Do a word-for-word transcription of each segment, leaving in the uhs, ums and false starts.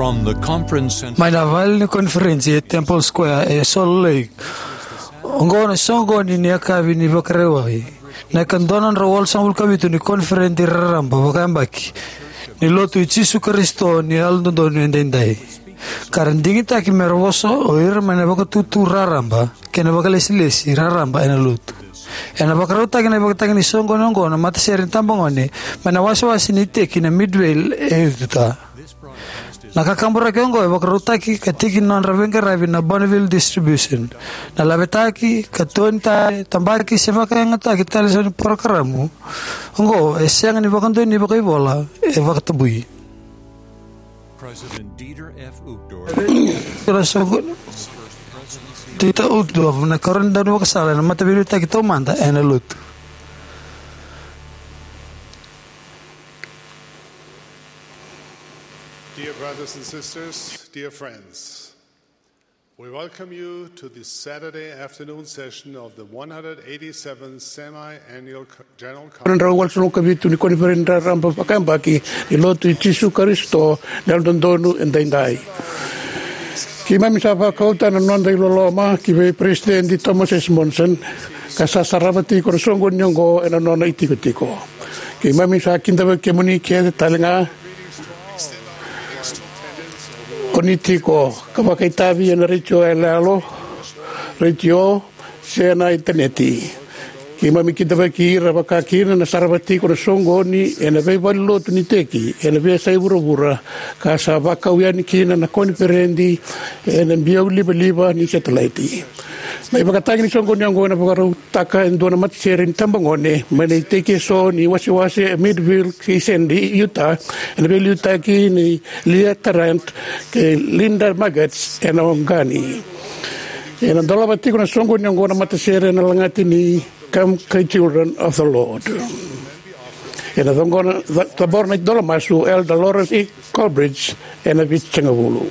From the conference center. Mai na vale ni koniferedi e Temple Square e Salt Lake. Oqo na soqoni ni yakavi ni Vakarauwai, na ika dua na drau walusagavulu ka vitu ni koniferedi raraba vakayabaki ni Lotu i Jisu Karisito ni Yalododonu Edaidai. Ka ra digitaki me ra vosa o ira mai na vakatutu raraba kei na vakalesilesi raraba ena Lotu. Ena vakarautaki na ivakatagi ni soqoni oqo na matasere ni tabagone mai na wasewase ni iteki na Midvale e Utah. Na kakaburaki oqo e vakarautaki ka tiki ni nodra veiqaravi na Bonneville Distribution. Na lavetaki ka toni tale, tabaki se vakayagataki tale eso ni porokaramu oqo e sega ni vakadonui vakaivola, e vakatabui. President Dieter F. Uchtdorf. Dieter Uchtdorf, na karua ni daunivakasala ena Mataveiliutaki Taumada ena Lotu. Dear brothers and sisters, dear friends, we welcome you to this Saturday afternoon session of the one hundred eighty-seventh Semi-Annual Co-, General Conference. Na drau walusagavulu ka vitu ni koniferedi raraba vakayabaki ni Lotu i Jisu Karisito ni Yalododonu Edaidai. Keimami sa vakauta na noda iloloma ki vei Peresitedi Thomas S. Monson, ka sa sarava tiko na soqoni oqo ena nona itikotiko. Keimami sa kidavaki kemuni kece tale ga o ni tiko, ka vakaitavi ena retio yaloyalo, retio, se na initaneti. Keimami kidavaki ira vakakina na sarava tiko na soqoni ena veivalenilotu ni iteki ena veiyasai vuravura, ka sa vakau yani kina na koniferedi ena biau livaliva ni setelaiti. Na ivakatagi ni soqoni oqo ena vakarautaka e dua na matasere ni tabagone mai na iteki eso ni wasewase e Midvale kei Sandy, Utah, ena veiliutaki nei Leah Tarrant kei Linda Maggots ena Ogani. Ena dolava tiko na soqoni oqo na matasere ena lagati ni Come, Ye Children of the Lord. Ena coqona, ca-, cabora na idola masu Elder Lawrence E. Colbridge ena vitusagavulu.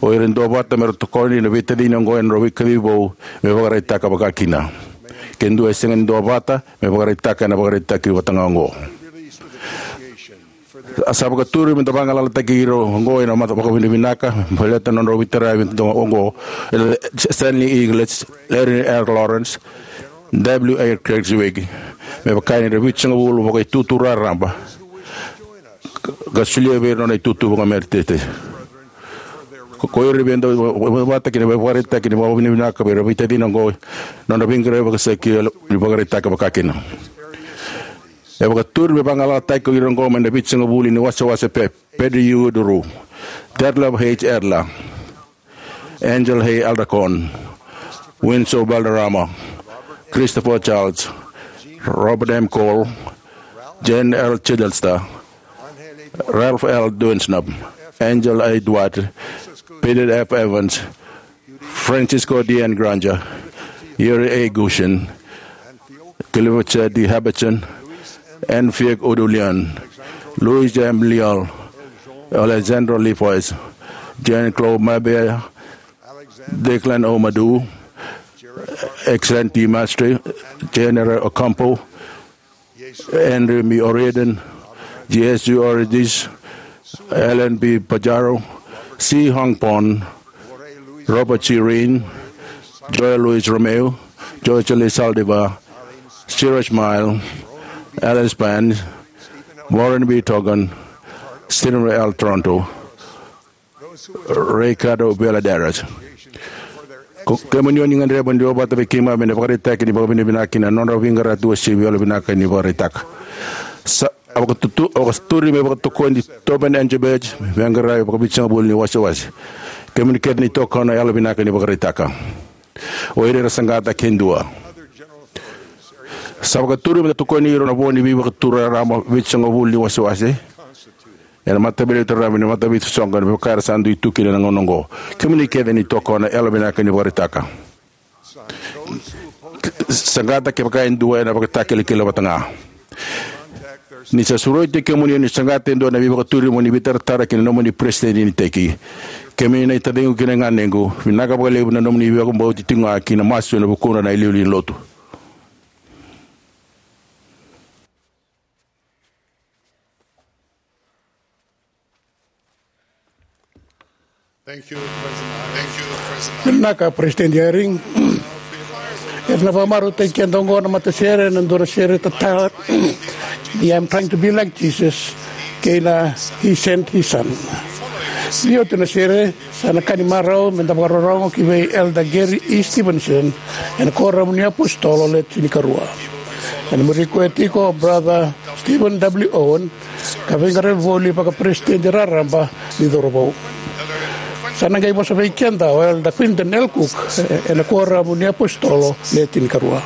O ira e duavata me ra tokoni na veitacini oqo ena nodra veikacivi vou me vakaraitaka vakakina. Ke dua e sega ni duavata, me vakaraitaka ena ivakaraitaki vata ga oqo. A sa vakaturi me da vagalalataki ira oqo ena mata vakavinavinaka baleta na nodra veitaravi oqo, e Stanley English, Larry R. Lawrence, W. A. Craigslwig, me vaka ni ra vitusagavulu vakaitutu raraba, ka solia vei ira na nona itutu vakameritete. Ko ira vei dau vata kina me vakaraitaki ni vakavinavinaka vei ira veitacini oqo, nodra veiqaravi vakasaki ni vakaraitaka vakakina. E vakaturi me vagalalataki ko ira oqo mai na Vitusagavulu ni Wasewase: Pe-, Pedro U. Duru, Detlef H. Edler, Angel H. Aldercon, Winslow Valderrama, Christopher Charles, Robert M. Cole, Jane L. Chichester, Ralph L. Dunsnap, Angela A. Duarte, Peter F. Evans, Francisco D. N. Granger, Yuri A. Gushin, Clifford D. Herbertson, N. Fiek Udulian, Luis M. Leal, Alexandra Lefois, Jean Claude Mabea, Declan O. Madu, Excellent D. Mastri, General Ocampo, Henry M. O'Riordan, J S G. Origis, Alan B. Pajaro, C. Hong Pon, Robert G. Reen, Joel Luis Romeo, George L. Saldivar, Siraj Mile, Alice Pan, Warren B. Togan, Stephen L. Toronto, Ricardo Valladares. Ko kemuni o ni gadreva mo ni duavata vei keimami ena ivakaraitaki ni vakavinavinaka kei na nodra veiqaravi uasivi, yalovinaka ni vakaraitaka. Sa, a vakatutu, a vakaturi me vakatokoni Tobin Engelbert me veiqaravi vakavitusagavulu ni wasewase. Kemuni kece ni tokona, yalovinaka ni vakaraitaka. O ira era saqata, ke dua. Sa vakaturi me da tokoni ira na vo ni veivakatura raraba vitusagavulu ni wasewase ena Mataveileti Raraba ni Mataveisuisoqo, me vaka era sa dui tu kina ena gauna oqo. Kemuni kece ni tokona, yalovinaka ni vakaraitaka. Saqata kevaka e dua ena ivakatakilakila vata ga. Ni sa sureti kemuni ni saqata e dua na veivakaturi mo ni veitaratara kei na nomuni peresitedi ni iteki. Kemuni na itaciqu kei na ganequ, vinaka vakalevu na nomuni vakabauti tiko ga kei na masu ena vukudra na iliuliu ni lotu. Thank you, President. Thank you, President. Vinaka, President Eyring. Era na vakamarautaki keda oqo na matasere, na dua na sere tatara ni I'm Trying to Be Like Jesus, kei na He Sent His Son. Ni oti na sere, sa na ka ni marau me da vakarorogo ki vei Elder Gary E. Stevenson ena Kuoramu ni Apositolo Le Tinikarua. Ena muri koya tiko o Brother Stephen W. Owen, ka veiqaravi voli vakaperesitedi raraba ni cauravou. Sa na qai vosa vei keda o Elder Quinton L. Cook, e, ena Kuoramu ni Apositolo Le Tinikarua.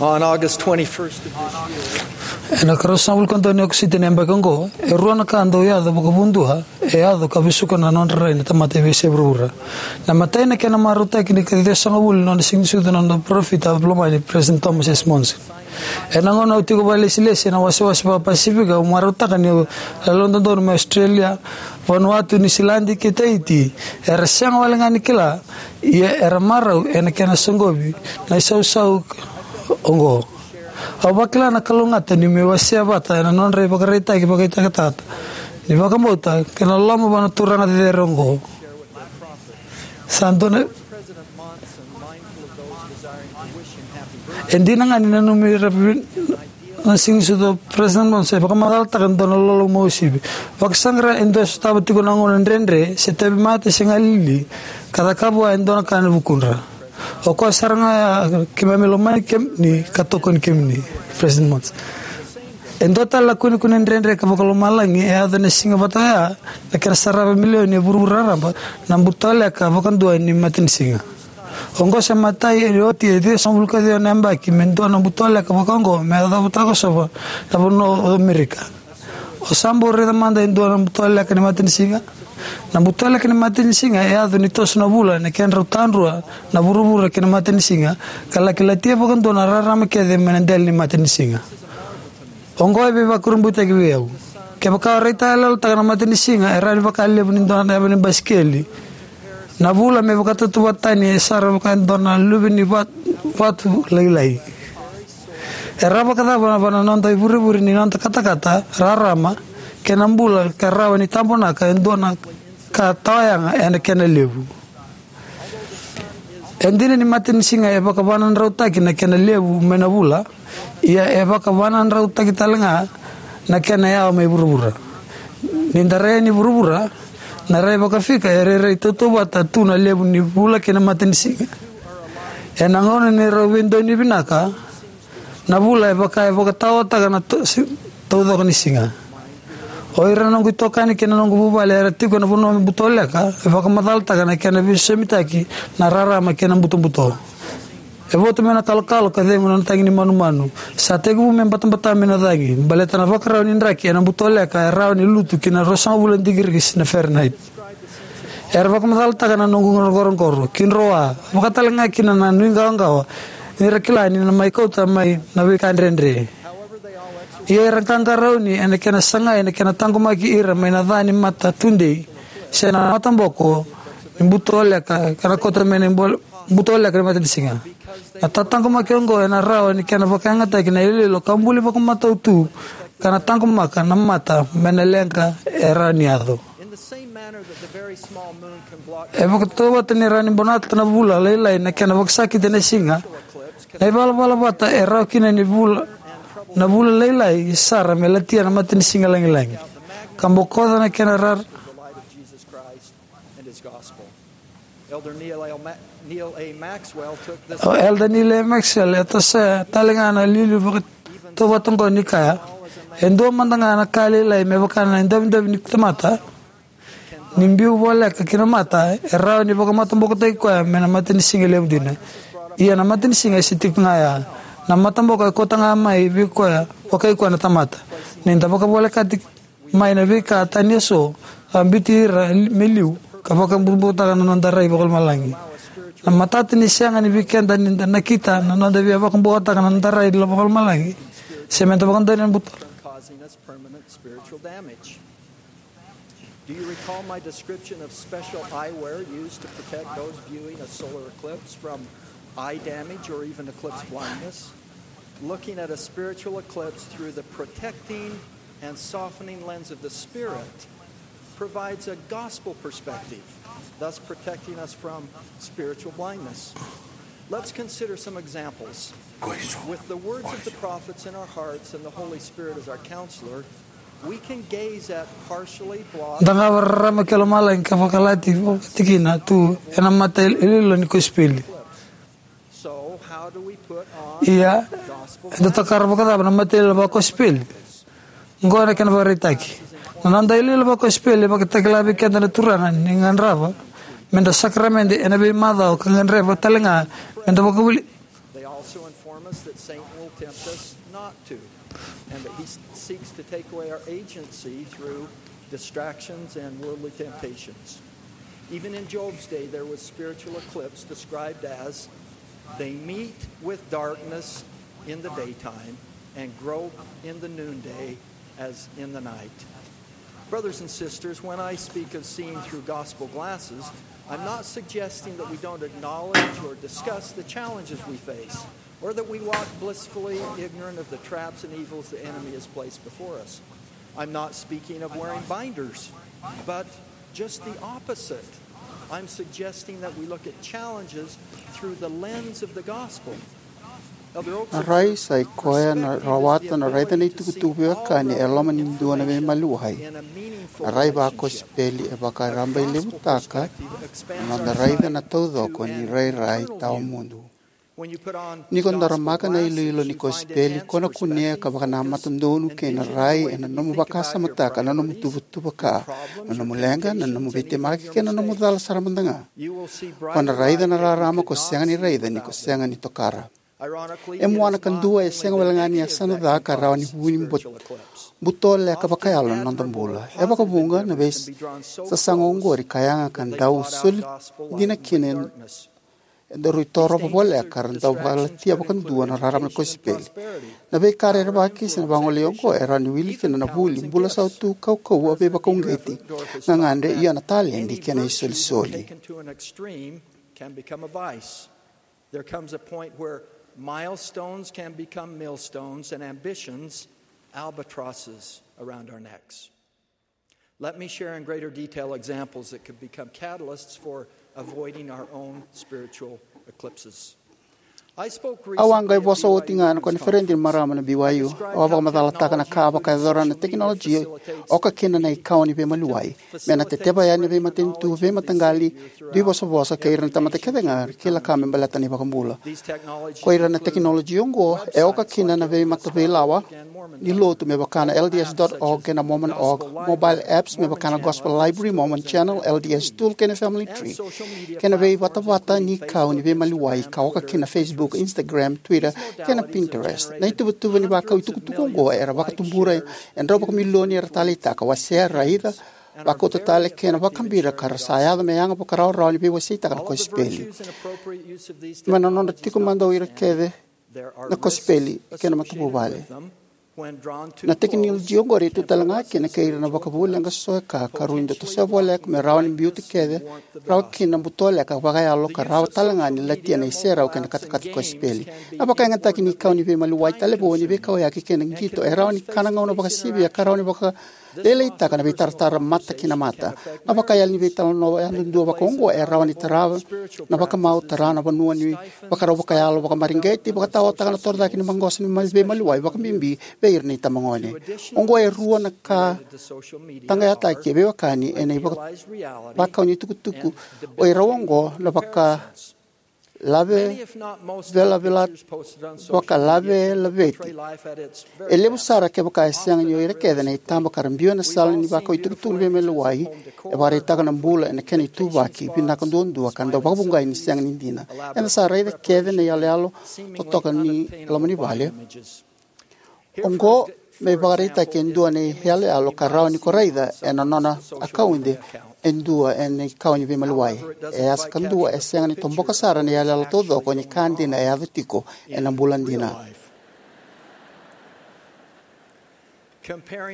On August twenty-first of this year, ena ikaruasagavulu ka dua ni Okosita ni yabaki oqo, e rua na ka dau yaco vakavudua e yaco ka vesuka na nodra rai na tamata e veiyasai vuravura. Na imatai, na kena marautaki ni ikaciwasagavulu ni nona siganisucu na noda parofita lomani, President Thomas S. Monson. Ena gauna au tiko vakailesilesi ena wasewase vakaPasifika, au marautaka niu yalododonu mai Australia, Vanuatu, Niusiladi kei Tahiti era sega wale ga ni kila, ia era marau ena kena soqovi na isausau oqo. Au vakila na kalougata niu mai wasea vata ena nodra ivakaraitaki vakaitakataka ni vakabauta kei na loloma vua na turaga cecere oqo. Sa dua na, e dina ga ni nanumi ira na siganisucu o President Monson, e vakamacalataka e dua na loloma uasivi. Vakasaqara e dua e sotava tiko na gauna dredre, se tauvimate se galili, ka cakava vua e dua na ka ena vukudra. O koya sara ga ya, keimami lomani kemuni ka tokoni kemuni, President Monson. E dua tale na kunekune dredre ka vakalomalagi e yaco ena siga vata oya, na kena sarava e milioni e vuravura raraba na butoleka vakadua ni matanisiga. Oqo sa imatai ni oti e ciwasagavulu ka ciwa na yabaki me dua na butoleka vakaoqo me yacova, takosova na vanua o Amerika. O sa bau raica mada e dua na butoleka ni matanisiga? Na butoleka ni matanisiga e yaco ni toso na vula ena kedrau tadrua na vuravura kei na matanisiga, ka laki latia vakadua na rarama kece mai na dela ni matanisiga. Oqo e veivakurabuitaki vei au. Kevaka o raitayaloyalotaka na matanisiga, e rawa ni vaka levu ni dua na yava ni basikeli na vula me vakatautauvata tani sara vaka e dua na luve ni vat-, vatu lailai. E rawa vakacava vua na noda ivurevure ni noda katakata, rarama kei na bula ka rawa ni tabonaka e dua na ka tawayaga ena kena levu? E dina ni matanisiga e vakavanadrautaki na kena levu mai na vula, ia e vakavanadrautaki tale ga na kena yawa mai vuravura. Ni da rai yani vuravura, na rai vakafika e rairai tautauvata tu na levu ni vula kei na matanisiga. Ena gauna ni rau veidonui vinaka, na vula e vaka e vakataotaka na to-, si-, taucoko ni siga. O ira na noqu itokani kei na noqu vuvale era tiko ena vanua butoleka e vakamacalataka na kena veisosomitaki na rarama kei na butobuto. E votu mai na kalokalo ka cegu na tagi ni manumanu. Sa tekivu me batabata mai na cagi baleta na vakarau ni draki ena butoleka e rawa ni lutu ki na ruasagavulu na digiri na Fahrenheit. Era vakamacalataka na noqu qoroqoro, kidroa, vaka tale ga kina na nuiqawaqawa, ni ra kila ni na mai kauta mai na veika dredre. Ia era qaqarauni ena kena sagai na kena taqomaki ira mai na ca ni mata tudei se na mataboko ni butoleka, ka na kauta mai na bol-, butoleka ni matanisiga. Na tataqomaki oqo ena rawa ni kena vakayagataki na iloilo ka buli vakamatau tu, ka na taqomaka na mata mai na leqa e rawa ni yaco. E vakatautauvata ni rawa ni bonata na vula lailai na kena vakasakiti na siga, na ivalavala vata e rawa kina ni vula, na vula lailai sara me latia na matanisiga lagilagi ka bokoca na kena rar-, Elder Neal A. Ma-, Neal A. Maxwell took this. O Elder Neal A. Maxwell e tosoya tale ga na iliuliu vakatautauvata oqo ni kaya, e dua mada ga na ka lailai me vaka na idavidavi ni tamata, ni biu voleka ki na mata, e rawa ni vakamatabokotaki koya mai na matanisiga levu dina. Ia na matanisiga e se tiko ga ya. Na mataboko e kauta ga mai vei koya, vakai koya na tamata. Ni da vakavolekati mai na veika tani eso, a biuti ira me liu, ka vakabutobuto taka na noda rai vakalomalagi. Na matata ni sega ni vei keda ni da nakita na noda via vakabutobuto taka na noda rai vakalomalagi, se me da vakadonui na buto. Causing us permanent spiritual damage. Do you recall my description of special eyewear used to protect those viewing a solar eclipse from eye damage or even eclipse blindness? Looking at a spiritual eclipse through the protecting and softening lens of the Spirit provides a gospel perspective, thus protecting us from spiritual blindness. Let's consider some examples. With the words of the prophets in our hearts and the Holy Spirit as our counselor, we can gaze at partially blocked. Da qava rarama kei lomalagi ka vakalati vakatikina tu ena mata iloilo ni kosipeli. Ia, eda tokara vakacava na mata iloilo vakosipeli? Oqo na kena vakaraitaki. Na noda iloilo vakosipeli e vakatakila vei keda na Turaga ni gadreva me da sakaramede ena veimacawa ka gadreva tale ga me da vakavuli. They also inform us that Saint tempt us not to, and that he seeks to take away our agency through distractions and worldly temptations. Even in Job's day, there was spiritual eclipse described as they meet with darkness in the daytime and grope in the noonday as in the night. Brothers and sisters, when I speak of seeing through gospel glasses, I'm not suggesting that we don't acknowledge or discuss the challenges we face, or that we walk blissfully ignorant of the traps and evils the enemy has placed before us. I'm not speaking of wearing binders, but just the opposite. I'm suggesting that we look at challenges through the lens of the gospel. Na rai sa i koya na rawata na raica na itukutuku veiwekani e loma ni dua na veimaliwai. Na rai vakosipeli e vakarabailevutaka na noda raica na taucoko ni rairai tawamudu. Ni ko daramaka na iloilo ni kosipeli, ko na kunea ka vakanamata donu kei na rai ena nomu vakasamataka na nomu tuvatuva ka, na nomu leqa, na nomu veitemaki kei na nomu cala sara mada ga. Ko na raica na rarama ko sega ni raica ni ko sega ni tokara. E muana, ka dua e sega wale ga ni yasana ca ka rawa ni vu ni bot- butoleka vakayalo na noda bula. E vakavuqa na veisasaga oqori ka yaga ka dau soli dina kina e daru i torova voleka ra dau vakalatia vakadua na rarama ni kosipeli. Na veika rerevaki se na vagolei oqo e rawa ni wili kina na vuli, bula sautu, kaukauwa, veivakauqeti, gagadre, ia na taledi kei na isolisoli. Can become a vice. There comes a point where milestones can become millstones and ambitions albatrosses around our necks. Let me share in greater detail examples that could become catalysts for avoiding our own spiritual eclipses. I spoke Au a qai vosa oti ga na koniferedi ni marama na B Y U. Au a vakamacalataka na ka a vakayacora na tekinoloji e oka kina na ikawa ni veimaliwai me na teteva yani na veimatanitu, veimataqali, duivosavosa kei ira na tamata kece ga era kila ka me baleta na iVakabula. Ko ira na tekinoloji oqo e oka kina na veimata veilawa ni lotu me vaka na L D S dot org kei na Mormon dot org, mobile apps me vaka na Gospel Library, Mormon Channel, L D S Tool kei na Family Tree, kei na veivatavata ni kau ni veimaliwai ka oka kina na Facebook, Instagram, Twitter kei na Pinterest. Na ituvatuva ni vakau itukutuku oqo era vakatubura e drau vakamilioni era taleitaka, wasea, raica, vakauta tale kei na vakabira ka ra sa yaco me yaga vakarawarawa ni veiwaseitaka na kosipeli. Mai na nodra tiko mada o ira kece na kosipeli kei na matavuvale. Na tekinoloji oqori e tu tale ga kina kei ira na vakavuvuli leqa so e ka ka rui dau tosoya voleka me rawa ni biuta kece rawa kina na butoleka vakayalo ka rawa tale ga ni latia na iserau kei na katakata kosipeli. Na vakayagataki ni kau ni veimaliwai, talevoni, veikauyaki kei na qito e rawa ni kana gauna vakasivia ka rawa ni vaka lailaitaka na veitaratara mata ki na mata. Na vakayali ni veitalanoa yadudua vakaoqo e rawa ni tarava na vakamau, tara na vanua ni vakarau vakayalo, vakamareqeti, vakataotaka na torocake ni maqosa ni ma- veimaliwai, vakabibi vei ira na itabagone. Oqo e rua na ka taqayataki e veiwekani ena ivaka- vakau ni tukutuku o irau oqo na vaka lave velavela vakalavelaveti. E levu sara kevaka e sega ni o ira kece na itaba ka ra biu ena sala ni vakau itukutuku ni veimaliwai. E vakaraitaka na bula ena kena ituvaki vinaka duadua ka dau vakavougai ni sega ni dina. Eda sa raica kece na iyaloyalo totoka ni loma ni vale. Oqo me vakaraitaki e dua na iyaloyalo ka rawa ni ko raica ena nona akaude e dua ena ikau ni veimaliwai. E yasa kadua e sega ni toboka sara na iyaloyalo taucoko ni ka dina e yaco tiko ena bula dina.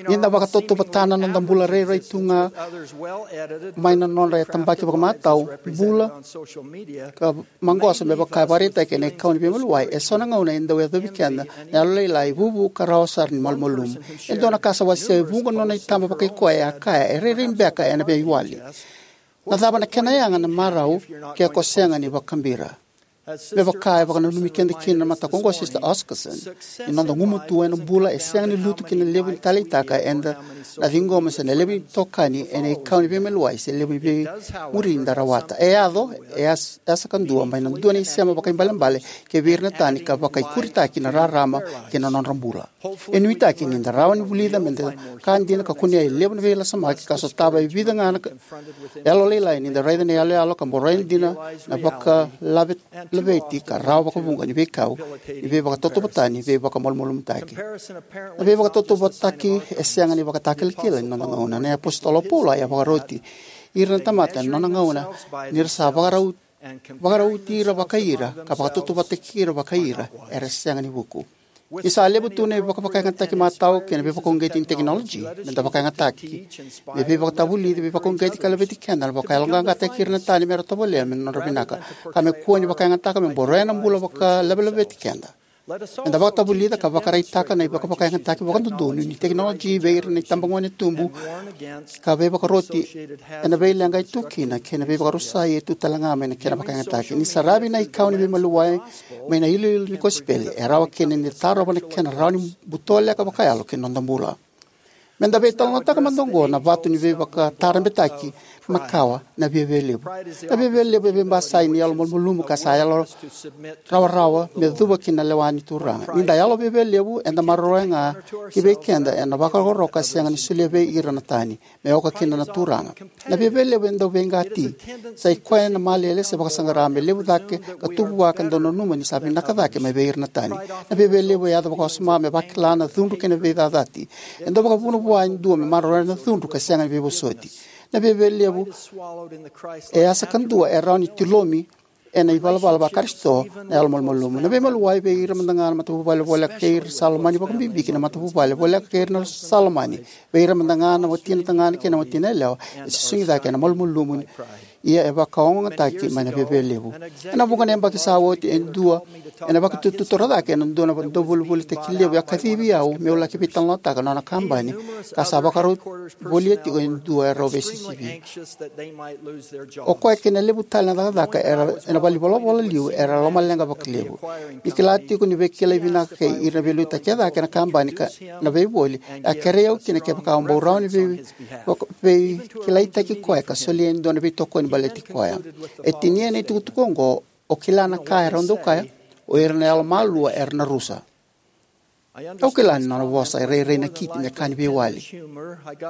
Ni da vakatautauvatataka na noda bula rairai tu ga mai na nodra yatabaki vakamatau, bula ka maqosa me vaka e vakaraitaki ena ikau ni veimaliwai, e so na gauna e dau yacovi keda na yalolailai, vuvu ka rawa sara ni malumalumu. E dua na ka sa wasea e vuqa na nona itaba vakaikoya e a kaya, e rairai beka ena veiwali. Na cava na kena yaga na marau ke ko sega ni vakabira? Me vaka e vakananumi keda kina na mataka oqo o Sister Oscarson, ni noda gumatua ena bula e sega ni lutu ki na levu ni taleitaka eda na ciqoma se na levu ni tokani ena ikau ni veimaliwai se levu ni veimuri da rawata. E yaco, e yas- yasa kadua mai na dua na isema vakaibalebale kei vei ira na tani ka vakaikuritaki na rarama kei na nodra bula. E nuitaki ni da rawa ni vulica me da ka dina ka kunea e levu na veilasamaki ka sotava e vica ga na ka- yalolailai ni da raica na iyaloyalo ka boroi dina na vakalave laveti ka rawa vakavuqa ni veikau ni veivakatautauvatani veivakamalumalumutaki. Na veivakatautauvataki e sega ni vakatakilakila ni noda gauna. Na iApositolo o Paula e vakaroti ira na tamata ena nona gauna ni ra sa vakarau, vakarauti ira vakai ira ka vakatautauvataki ira vakai ira era sega ni vuku. Ni sa levu tu na ivakavakayagataki matau kei na veivakauqeti ni tekinoloji, me da vakayagataki me veivakatavulici, veivakauqeti ka laveti keda na vakayaloqaqataki ira na tani me ra tovolea me nodra vinaka, ka me kua ni vakayagataka me boroya na bula vakalavelaveti keda. Me da vakatavulica ka vakaraitaka na ivakavakayagataki vakadodonu ni tekinoloji vei ira na itabagone tubu ka veivakaroti ena veileqa e tu kina kei na veivakarusai e tu talega mai na kena vakayagataki. Ni saravi na ikau ni veimaliwai mai na iloilo ni kosipeli, e rawa kina ni da tarova na kena rawa ni butoleka vakayalo ki na noda bula. Me da veitalanoataka mada oqo na vatu ni veivakatarabetaki makawa, na viavialevu. Na viavialevu e veibasai ni yalomalumalumu ka sa yalo rawarawa me cuva ki na lewa ni Turaga. Ni da yalo viavialevu, eda maroroya ga ki vei keda ena vakarokoroko ka sega ni solia vei ira na tani me oka kina na Turaga. Na viavialevu e dau veiqati. Sa i koya na malele se vakasaqara me levu cake ka tu vua ka dau nanuma ni sa vinaka cake mai vei ira na tani. Na viavialevu e yaco vakawasoma me vakila na cudru kei na veicacati. E dau vakavuna vua e dua me maroroya na cudru ka sega ni veivosoti. Na viavialevu e yasa kadua e rawa ni tilomi ena ivalavala va-Karisito na yalomalumalumu. Na veimaliwai vei ira mada ga na matavuvale voleka kei ira sa lomani, vakabibi ki na matavuvale voleka kei ira na sa lomani, vei ira mada ga na watina tagane kei na watina yalewa, e susugi cake ena malumalumu, ia e vakaogataki mai na viavialevu. Ena vuqa na yabaki sa oti, e dua ena vakatututora cake ena dua na dauvolivolitaki levu e a kacivi au meu laki veitalanoataka na nona kabani, ka sa vakarau volia tiko e dua e rau veisisivi. O koya kei na levu tale na cakacaka era ena valenivolavola liu era lomaleqa vakalevu. Ni kila tiko ni veikilai vinaka kei ira na veiliutaki e cake ena kabani ka na veivoli, e a kerei au kina kevaka au bau rawa ni vei, vaka-, veikilaitaki koya ka solia e dua na veitokoni baleti koya. E tinia na itukutuku oqo, o kila na ka e rau dau kaya, o ira na yalomalua era na rusa. Au kila ni nona vosa e rairai na kiti me ka ni veiwali.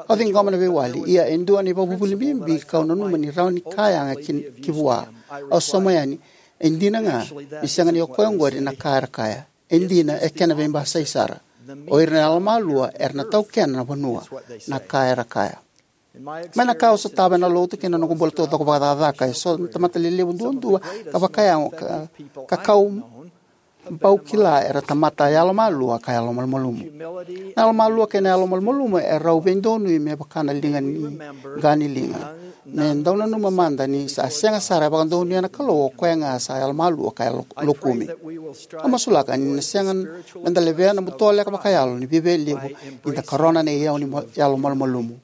Au ciqoma na veiwali, ia e dua na ivakavuvuli bibi kau nanuma ni rawa ni kaya ga ki, ki vua. Au sauma yani, e dina ga ni sega ni o koya oqori na ka era kaya. E dina, e kena veibasai sara. O ira na yalomalua era na taukena na vanua, na ka era kaya. Mai na ka au sotava ena lotu kei na noqu bula taucoko vakacakacaka, e so na tamata lelevu duadua ka vakayago ka, ka kau bau kila era tamata yalomalua ka yalomalumalumu. Na yalomalua kei na yalomalumalumu e rau veidonui me vaka na liga ni qa ni liga. Me dau nanuma mada ni sa sega sara e vakadonuya na Kalou o koya ga sa yalomalua ka yalo-, lokumi. Au masulaka ni na sega me da levea na butoleka vakayalo ni viavialevu ni da karona na iyau ni mo-, yalomalumalumu.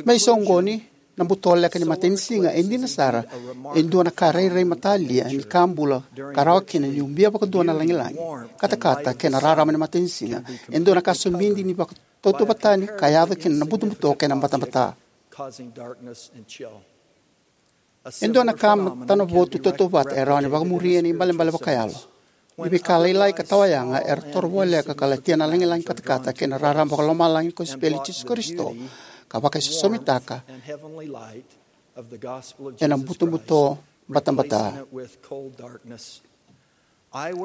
Me isoqoni, na butoleka ni matanisiga e dina sara e dua na ka rairai matalia ni ka bula ka rawa kina ni ubia vakadua na lagilagi, katakata kei na rarama ni matanisiga. E dua na ka somidi ni vakatautauvatani ka yaco kina na butobuto kei na batabata. E dua na ka matanavotu tautauvata e rawa ni vakamuria na ibalebale vakayalo. Ni veika lailai ka tawayaga era toro voleka ka latia na lagilagi, katakata kei na rarama vakalomalagi ni kosipeli i Jisu Karisito, ka vakaisosomitaka ena butobuto batabata.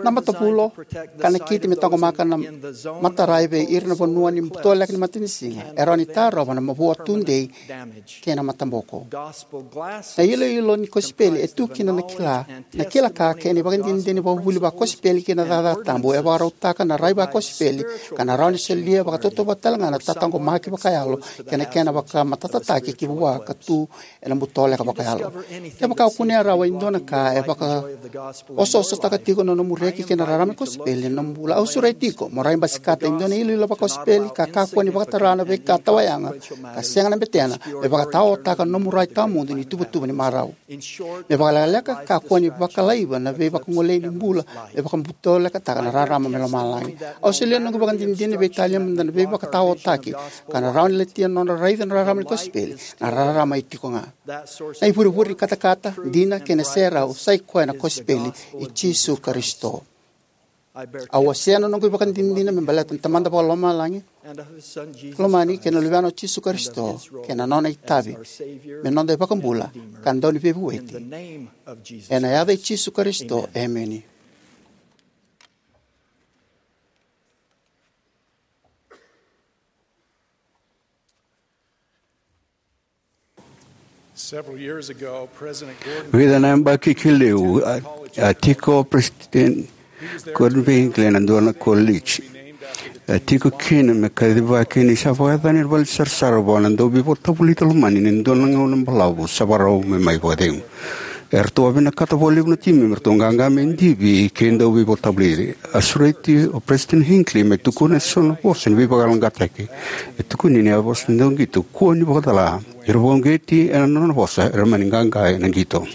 Na matavulo ka nakiti me taqomaka na matarai vei ira na vanua ni butoleka ni matanisiga e rawa ni tarova na mavoa tudei kei na mataboko. Na iloilo ni kosipeli e tu kina na kila, na kila ka kei na ivakadinadina ni vakavuvuli vakosipeli kei na cakacaka tabu e vakarautaka na rai vakosipeli ka na rawa ni solia vakatautauvata talega na tataqomaki vakayalo kei na kena vakamatatataki ki vua ka tu ena butoleka vakayalo. Kevaka o kunea rawa e dua na ka e vakaosoosotaka tiko na nomu reki kei na rarama ni kosipeli ena nomu bula, au sureti iko mo rai basikata e dua na iloilo vakosipeli ka kakua ni vakatara na veika tawayaga ka sega na betena me vakataotaka na nomu rai tawamudu ni tuvatuva ni marau. Me vakalekaleka, kakua ni vakalaiva na veivakagolei ni bula me vakabutolekataka na rarama mai lomalagi. Au solia na noqu ivakadinadina ni veitalia mada na veivakataotaki ka na rawa ni latia na nodra raica na rarama ni kosipeli na rarama e tiko ga. Na ivurevure ni katakata, dina kei na serau sa i koya na kosipeli i Jisu Karisito. Au wasea na noqu ivakadinadina me baleta na Tamada Vakalomalagi lomani kei na Luvena o Jisu Karisito kei na nona itavi me noda iVakabula ka Dauniveivueti. Ena yaca i Jisu Karisito, emeni. Several years ago, President Gordon Vica na yabaki ki liu, a, a tiko o President Gordon Hinckley ena dua na college. A tiko kina me kacivaki ni sa vakayacani na vale ni sarasara vua na dauveivolitavolita lomani ni dua na gauna balavu sa vakarau me mai vakacegu. Eratou a vinakata vakalevu na timi me ratou qaqa me divi kei dauveivolitavoliti. A sureti o President Hinckley me tukuna eso na vosa ni veivakayaloqaqataki. E tukuni ni a vosa dau qito, kua ni vakacala. Era vakauqeti ena nona vosa, era mani qaqa ena qito.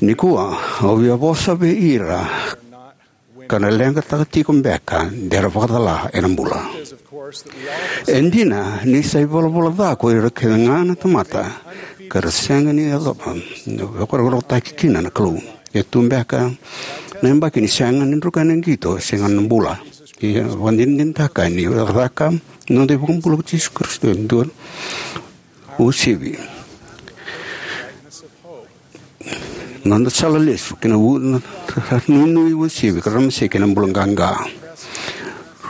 Nikua, au via vosa vei ira ka na leqataka tiko beka de ra vakacala ena bula. E dina ni sa ivalavala ca ko ira kece ga na tamata ka ra sega ni yacova na vakarokorokotaki kina na Kalou. E tu beka na yabaki ni sega ni druka na qito, sega na bula. Ia vakadinadinataka ni caka noda iVakabula ko Jisu Karisito e dua uasivi. Noda sala lesu kei na u-, na, na nuinui uasivi ka ramasei kei na bula qaqa.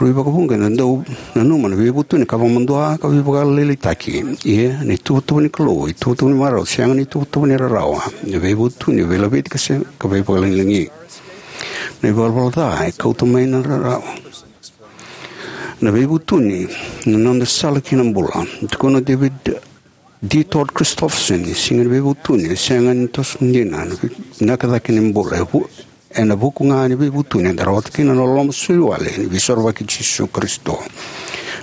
Rui vakavuqa eda dau nanuma na veivutuni ka vakamadua ka veivakalailai taki. Ia na ituvatuva ni Kalou, ituvatuva ni marau, sega na ituvatuva ni rarawa. Na veivutuni veilaveti ka se, ka veivakalagilagi. Na ivalavala ca e kauta mai na rarawa. Na veivutuni na noda sala ki na bula. Tukuna o David D. Todd Christofferson, siga ni veivutuni e sega ni toso dina, na vinaka cake ni bula e vu-, ena vuku ga ni veivutuni eda rawata kina na loloma soli wale ni veisorovaki i Jisu Karisito.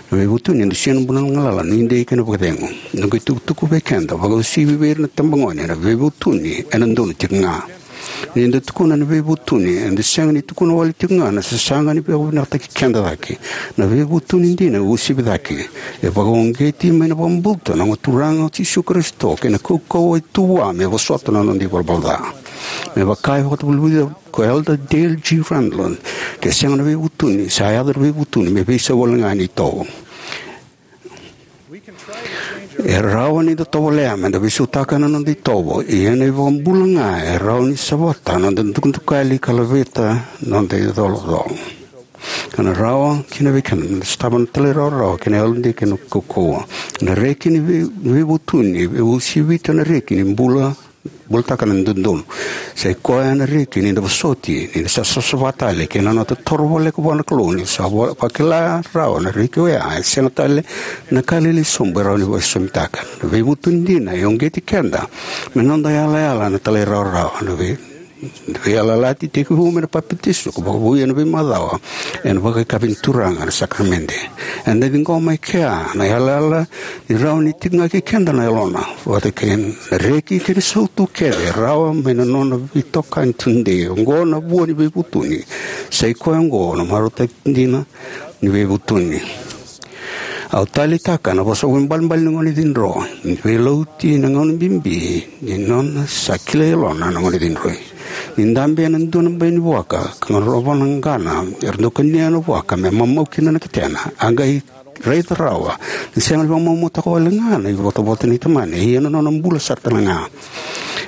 Na veivutuni e dusia na bula, na galala, na nuidei kei na vakacegu. Na qai tukutuku vei keda, vakauasivi vei ira na tabagone, na veivutuni ena donu tiko ga. Ni da tukuna na veivutuni, eda sega ni tukuna wale tiko ga na sasaga ni vakavinakataki keda cake. Na veivutuni dina e uasivi cake. E vakauqeti mai na vakabauta na Gone Turaga o Jisu Karisito kei na kaukauwa e tu vua me vosota na noda ivalavala ca. Me vaka e vakatavulica ko Elder Dale G. Renlund, ke sega na veivutuni, sa yaco na veivutuni me veisau wale ga ni itovo. E rawa ni da tovolea me da veisautaka na noda itovo, ia na iVakabula ga e rawa ni savata na noda dukadukali ka laveta na noda icolacola. Ka na rawa kina vei keda me da sotava na talairawarawa kei na yalodei kei na kaukauwa. Na reki ni vei-, veivutuni e uasivita na reki ni bula bulataka na dodonu. Sa i koya na reki ni da vosoti, ni da sa savasava tale kei na noda toro voleka vua na Kalou, ni sa vo-, vakila rawa na reki oya e sega tale na ka lailai sobu e rawa ni vakasausautaka. Na veivutuni dina e uqeti keda me noda yalayala na talairawarawa, na vei-, na veiyalayalati tekivu mai na papitaiso ka vakavouya na veimacawa ena vakaikavi ni Turaga na sakaramede. Eda ciqoma e kea na yalayala ni rawa ni tiko ga kei keda na yalona, vata kei na reki kei na sautu kece e rawa mai na nona veitokani tudei. Oqo na vua ni veivutuni. Sa i koya oqo na marautaki dina ni veivutuni. Au taleitaka na vosa vakaibalebale ni gone cidro, ni veilauti na gauna bibi ni nona sa kilai yalona na gone cidroi. Ni dabe ena dua na bai ni vuaka ka qoroya na qana, era dau kania na vuaka me mamau kina na ketena. A qai raica rawa ni sega ni vakamaumau toka wale ga na ivotavota nei tamana, ia na nona bula sara tale ga.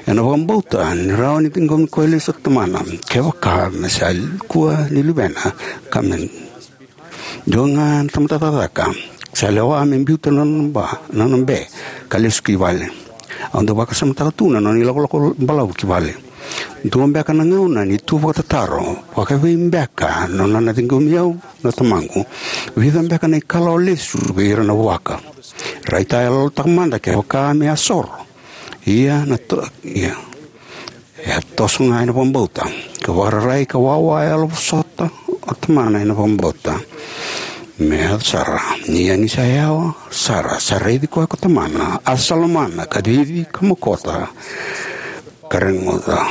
Ena vakabauta ni rawa ni ciqomi koya lesu o tamana kevaka me sa kua ni luvena, ka me dua ga na tamata cakacaka sa lewa me biuta na nona ba, na nona be, ka lesu ki vale. Au dau vakasamataka tu na nona ilakolako balavu ki vale. Dua beka na gauna ni tu vakatataro, vakaevei beka na nona ciqomi au na tamaqu? Vica beka na ikalawa lesu vei ira na vuaka? Raitayaloyalotaka mada kevaka me a soro. Ia na to-, ia. E a toso ga ena vakabauta, ka vakararai ka wawa e yalovosota o tamana ena vakabauta. Me yaco sara, ia ni sa yawa sara, sa raici koya ko tamana, a sa lomana, ka cici, ka mokota, ka reguca.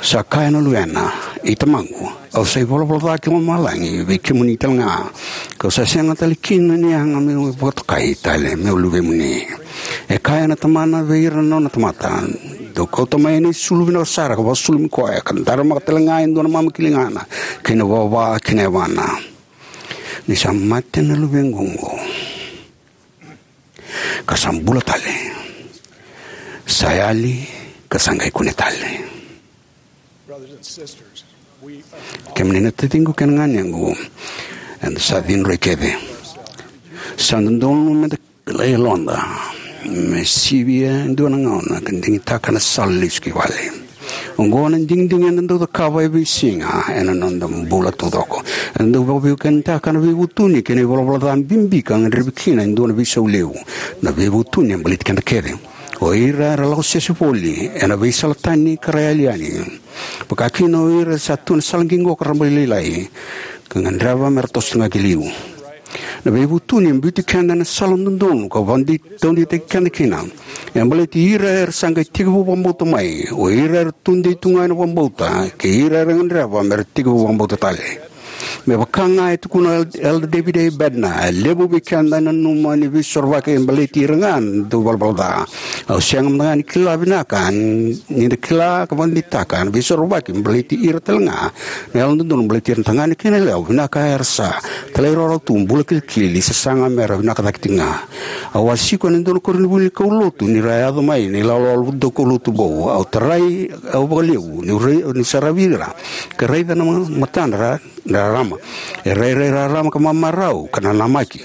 Sa kaya na luvena, i tamaqu, au sa ivalavala ca ki lomalagi vei kemuni tale ga, kau sa sega tale kina ni yaga meu vakatokai tale meu luvemuni. E kaya na tamana vei ira na nona tamata, Dou kauta mai ena isulu vinaka sara ka vakasulumi koya, ka daramaka tale ga e dua na mama ki ligana, kei na vava ki na yavana. Ni sa mate na luvequ oqo, ka sa bula tale, sa yali, ka sa qai kune tale. Kemuni na taciqu kei na ganequ, eda sa cidroi kece. Sa dodonu meda kilai yaloda me sivia e dua na gauna ka digitaka na sala lesu ki vale. Oqo na digidigi eda dau cakava e veisiga ena noda bula taucoko. Eda dau vakaveiwekanitaka na veivutuni kei na ivalavala ca bibi ka gadrevi kina e dua na veisau levu. Na veivutuni e baleti keda kece. O ira era lako sese voli ena veisala tani ka ra yali yani, vakakina o ira sa tu ena sala qiqo ka rabailailai, ka gadreva me ra toso ga ki liu. Na veivutuni e biuti keda ena sala dodonu ka vakadei-, taudeitaki keda kina. E baleti ira era sa qai tekivu vakabauta mai, o ira era tudei tu ga ena vakabauta, kei ira era gadreva me ra tekivu vakabauta tale. Me vaka ga e tukuna Elder David A. Bednar, e levu vei keda e nanuma ni veisorovaki e baleti ira ga na dau valavala ca. Au sega mada ga ni kila vinaka ni da kila ka vakadeitaka na veisorovaki me baleti ira tale ga na yalododonu, baleti ira na tagane kei na yalewa vinaka era sa talairawarawa tu, bula kilikili, sasaga me ra vinaka cake tiko ga. Au a siko ena dua na koronivuli ni kaulotu ni ra yaco mai na ilawalawa daukaulotu vou. Au tarai au vakalevu niu rai-, niu saravi ira ka raica na ma-, matadra rarama. E rairai rarama ka mamarau ka nanamaki.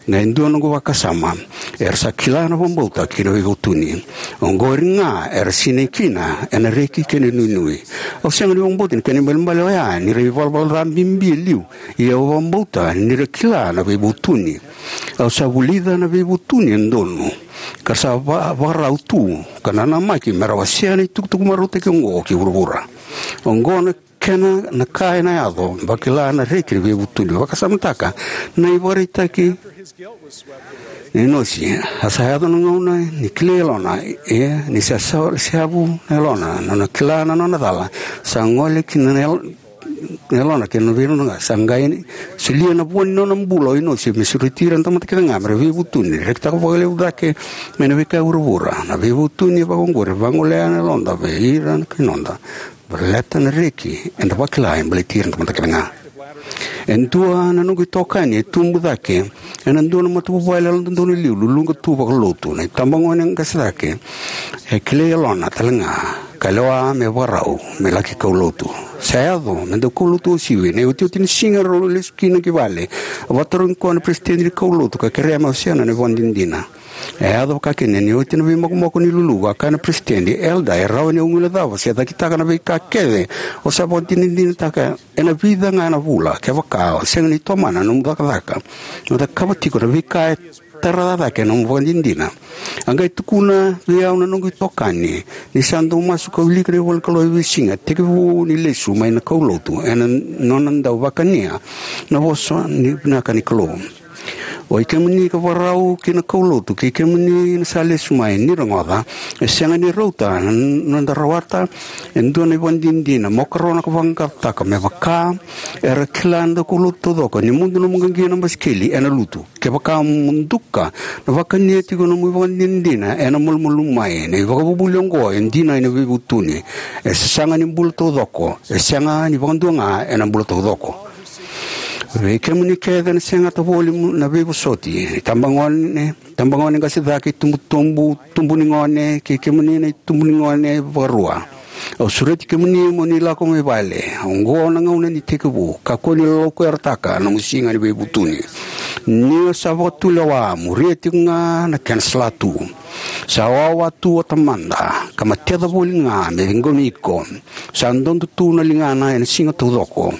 Na e dua noqu vakasama, era sa kila na vakabauta kei na veivutuni. Oqori ga era sinai kina ena reki kei na inuinui. Au sega ni vakabauta ni kena ibalebale oya ni ra ivalavala ca bibi e liu, ia au vakabauta ni ra kila na veivutuni. Au sa vulica na veivutuni e donu ka ra sa va-, vakarau tu ka nanamaki me ra wasea na itukutuku marautaki oqo ki vuravura. Oqo na kena na ka ena yaco, vakila na reki ni veivutuni. Vakasamataka na ivakaraitaki ni Inosi. A sa yaco na gauna ni kilai yalona, ia ni sa sa-, seavu na yalona, na nona kila na nona cala, sa gole ki na yal-, na yalona kei na veirogoci, sa qai solia na vua ni nona bula o Inosi me sureti ira na tamata kece ga me ra veivutuni, rekitaka vakalevu cake mai na veika e vuravura. Na veivutuni e vakaoqori, vagolea na yaloda vei ira na kai noda. Baleta na reki eda vakila e baleti ira na tamata kece ga. E dua na noqu itokani e tubu cake ena dua na matavuvale yalododonu e liu, luluqa tu vakalotu. Na itabagone qase cake e kilai yalona tale ga ka lewa me vakarau me laki kaulotu. Sa yaco me dau kaulotu uasivi. Na iotioti ni siga rau lesu kina ki vale, a vakatarogi koya na peresitedi ni kaulotu ka kerea me wasea na nona ivakadinadina. E yaco vakakina ni oti na veimokomoko ni luluvu, a kaya na peresitedi, "Elder, e rawa ni o guilecava se cakitaka na veika kece o sa vakadinadinataka ena vica ga na vula, kevaka o sega ni tomana na nomu cakacaka mo cakava tiko na veika e tara cake na nomu ivakadinadina." A qai tukuna vei au na noqu itokani ni sa dau masu ka wilika na ivolanikalou e veisiga, tekivu ni lesu mai na kaulotu, ena nona dau vakania na vosa ni vinaka ni Kalou. O i kemuni ka vakarau ki na kaulotu, kei kemuni na sa lesu mai, ni rogoca, e sega ni rauta na noda rawata e dua na ivakadinadina, mo karona ka vaqaqacotaka me vaka era kila na daukaulotu taucoko ni mudu nomu qiqi ena basikeli ena lutu. Kevaka mo duka na vakania tiko nomu ivakadinadina, ena malumalumu mai. Na ivakavuvuli oqo e dina ena veivutuni. E sasaga ni bula taucoko, e sega ni vakadua ga ena bula taucoko. Vei kemuni kece na segata voli mu-, na veivosoti, itabagone, tabagone qase cake, itubutubu, tubu ni gone, kei kemuni na itubu ni gone vakarua, au sureti kemuni mo ni lako mai vale. Oqo na gauna ni tekivu. Kakua ni laukuyarataka na nomu siga ni veivutuni. Ni o sa vakatulewa, muria tiko ga na kena salatu. Sa wawa tu o Tamada ka mateca voli ga me ciqomi iko. Sa dodo tu na ligana ena siga taucoko.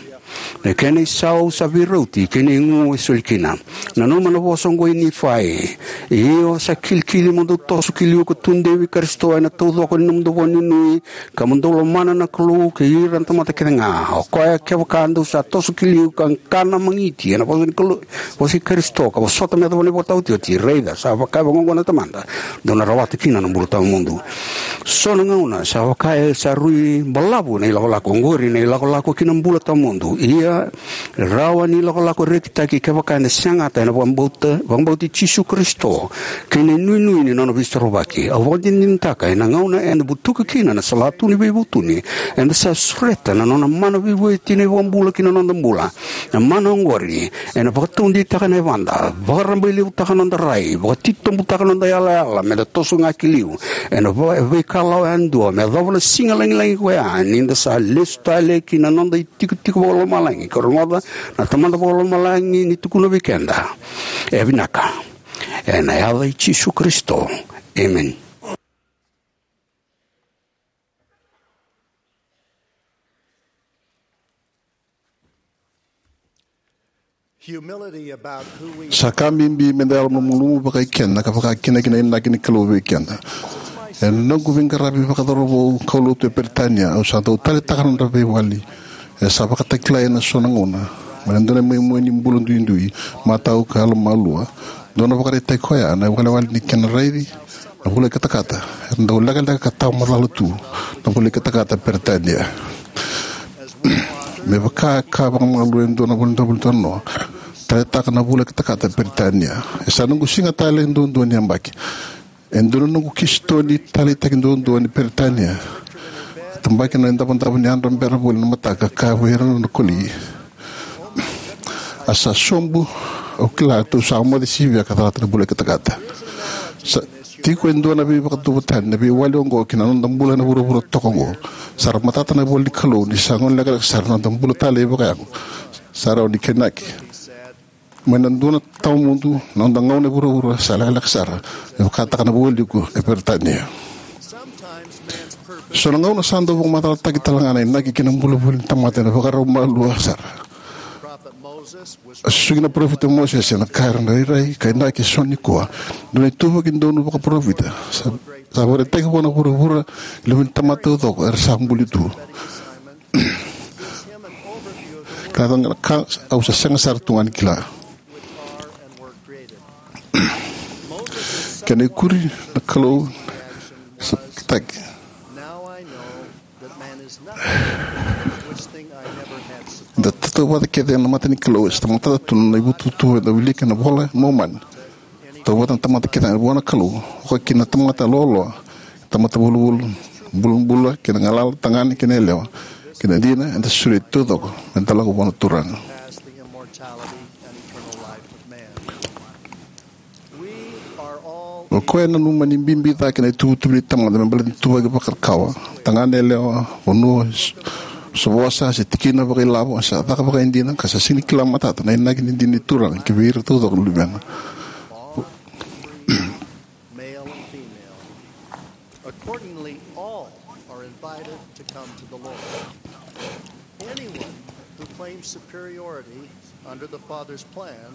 Na kena isau sa veirauti kei na igu e soli kina. Nanuma na vosa oqo i Nifai: "Io, sa kilikili mo dou toso ki liu ka tudei vei Karisito ena taucoko ni nomudou vakanuinui, ka mo dou lomana na Kalou kei ira na tamata kece ga. O koya, kevaka dou sa toso ki liu ka kana magiti ena vosa ni Kalou, vosa i Karisito, ka vosota me yacova na ivakataotioti, raica, sa vaka e vakaoqo na Tamada, dou na rawata kina na bula tawamudu." So na gauna sa vaka e sa rui balavu na ilakolako oqori, na ilakolako ki na bula tawamudu. Ia, rawa ni lakolako rekitaki kevaka ena segata ena vakabauta, vakabauti Jisu Karisito kei na inuinui ni nona Veisorovaki. Au vakadinadinataka ena gauna eda butuka kina na salatu ni veivutuni, eda sa sureta na nona mana veivueti na iVakabula ki na noda bula. Na mana oqori ena vakataudeitaka na yavada, vakarabailevutaka noda rai, vakatitobutaka noda yalayala meda toso ga ki liu ena va-, veikalawa yadua, me yacova na siga lagilagi koya, ni da sa lesu tale ki na noda itikotiko vakalomalagi ka rogoca na Tamada Vakalomalagi ni tukuna vei keda, "E vinaka." Ena yaca i Jisu Karisito. Emeni. Sa ka bibi meda yalomalumalumu vakaikeda ka vakakina ki na inaki ni Kalou vei keda. Ena noqu veiqaravi vakacauravou kaulotu e Peritania, au sa dau taleitaka na nodra veiwali e sa vakatakilai ena so na gauna mai na dua na imoimoi ni bula duidui, matau ka yalomalua. Dua na ivakaraitaki koya na iwalewale ni kena raici na vula i katakata. Era dau lekaleka ka tawa macala tu na vula i katakata e Peritania. Me vaka ka vakamalua e dua na vula, dua na vula, dua na noa, taleitaka na vula i katakata e Peritania. E sa noqu siga tale duadua ni yabaki. E dua na noqu kisitoni taleitaki duadua ni Peritania. Tabaki na idavodavo ni yadra bera voli na mataka, kaya vei ira na koli, "A sa sobu, au kila tou sa moce sivia ka calata na vula i katakata." Sa tiko e dua na veivakadodonutaki na veiwali oqo ki na noda bula ena vuravura toka oqo. Sa ra matata na ivola ni Kalou ni sa gone lekaleka sara na noda bula talei vakayago. Sa rawa ni kainaki mai na dua na tawamudu, na noda gauna e vuravura sa lekaleka sara, e vakataka na vualiku e Peritania. So na gauna sa dau vakamacalataki tale ga na inaki kei na bula voli ni tamata ena vakarau malua sara. A susugi na parofita Mosese ena ka era na rairai ka inaki eso nikua, dua na ituvaki donu vakaparofita sa, sa vakaraitaki vua na vuravura, levu ni tamata taucoko era sa buli tu. Ka, ka au sa sega sara tu ga ni kila. Kena ikuri na Kalou sa taki. Da tautauvata kece ena mata ni Kalou, e sa matata tu na ivutuvatu eda wilika ena iVola i Momani. Tautauvata na tamata kece ga vua na Kalou, oka kina na tamata loaloa, tamata vulavula, bulabula, kei na galala, tagane kei na yalewa, kei na dina, eda sureti taucoko meda lako vua na Turaga. O koya e nanuma ni bibi cake na ituvatuva ni tamata me baleta na ituvaki vakarakawa, tagane, yalewa, vanua, s-, sa vosa se tikina vakailavo, sa caka vakaidina, ka sa sega ni kila matata na inaki ni dina ni Turaga ki vei ira taucoko na luvena. Male and female. Accordingly, all are invited to come to the Lord. Anyone who claims superiority under the Father's plan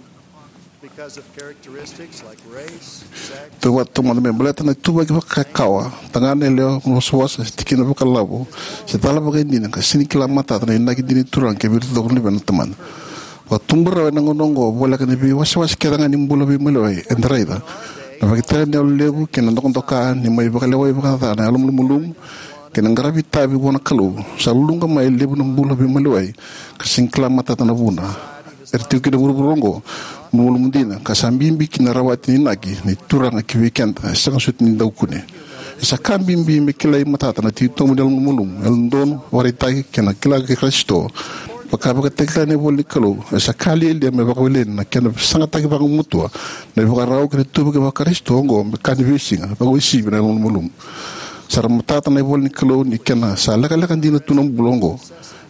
because of characteristics like race, sex, Tautauvata me baleta na ituvaki vakakawa, tagane, yalewa, vosavosa, se tikina vakailavo, se cala vakaidina, ka sega ni kila matata na inaki dina ni Turaga ki vei ira taucoko na luvena na Tamana. Vakatubu rawa ena gauna oqo, voleka ni veiwasewase kece ga ni bula veimaliwai eda raica. Na vakatakila ni yalo levu kei na dokadoka ni mai vakalewai vakaca na yalo malumalumu kei na qaravi itavi vua na Kalou, sa luluqa mai e levu na bula veimaliwai ka sega ni kila matata na vuna era tiko kina e vuravura oqo. Malumalumu dina, ka sa bibi kina na rawati ni inaki ni Turaga ki vei keda, e sega soti ni dau kune. E sa ka bibi me kilai matata na titobu ni yalo malumalumu, yalododonu, vakaraitaki kei na kila kei Karisito. Vaka e vakatakila ena ivola ni Kalou, e sa ka lialia me vakaweleni na kena sagataki vagumatua na ivakarau kei na ituvaki vaKarisito oqo me ka ni veisiga, vakauasivi na yalo malumalumu. Sa ra matata na ivola ni Kalou ni kena sa lekaleka dina tu na bula oqo.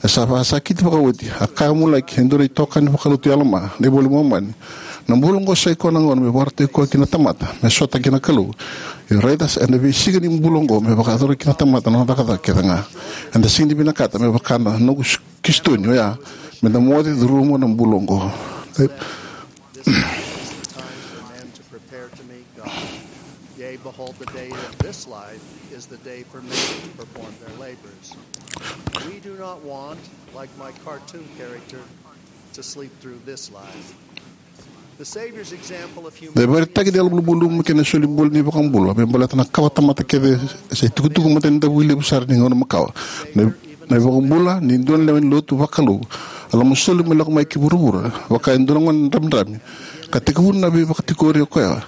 E sa vakasakiti vakaoti, a kaya mulaki e dua na itokani vakalotu i Alama, na iVola i Momani, na bula oqo sa i koya na gauna me vakarautaki koya kina na tamata me sota kei na Kalou. Ia raica, ena veisiga ni bula oqo me vakayacora kina na tamata na nona cakacaka kece ga. Eda sega ni vinakata me vaka na noqu s-, kisitoni oya, meda moce curuma na bula oqo. This is the time for men to prepare to meet God. Yea, behold, the day of this life is the day for men to perform their labors. We do not want, like my cartoon character, to sleep through this life. Na ivakaraitaki ni yalomalumalumu kei na solibula ni iVakabula me baleta na kawatamata kece sa itukutuku matanidavu levu sara ni gauna makawa. Na, na iVakabula ni dua na lewe ni lotu vakalou a lomasoli me lako mai ki vuravura vaka e dua na gone dramidrami, ka tekivuna na veivakatikori o koya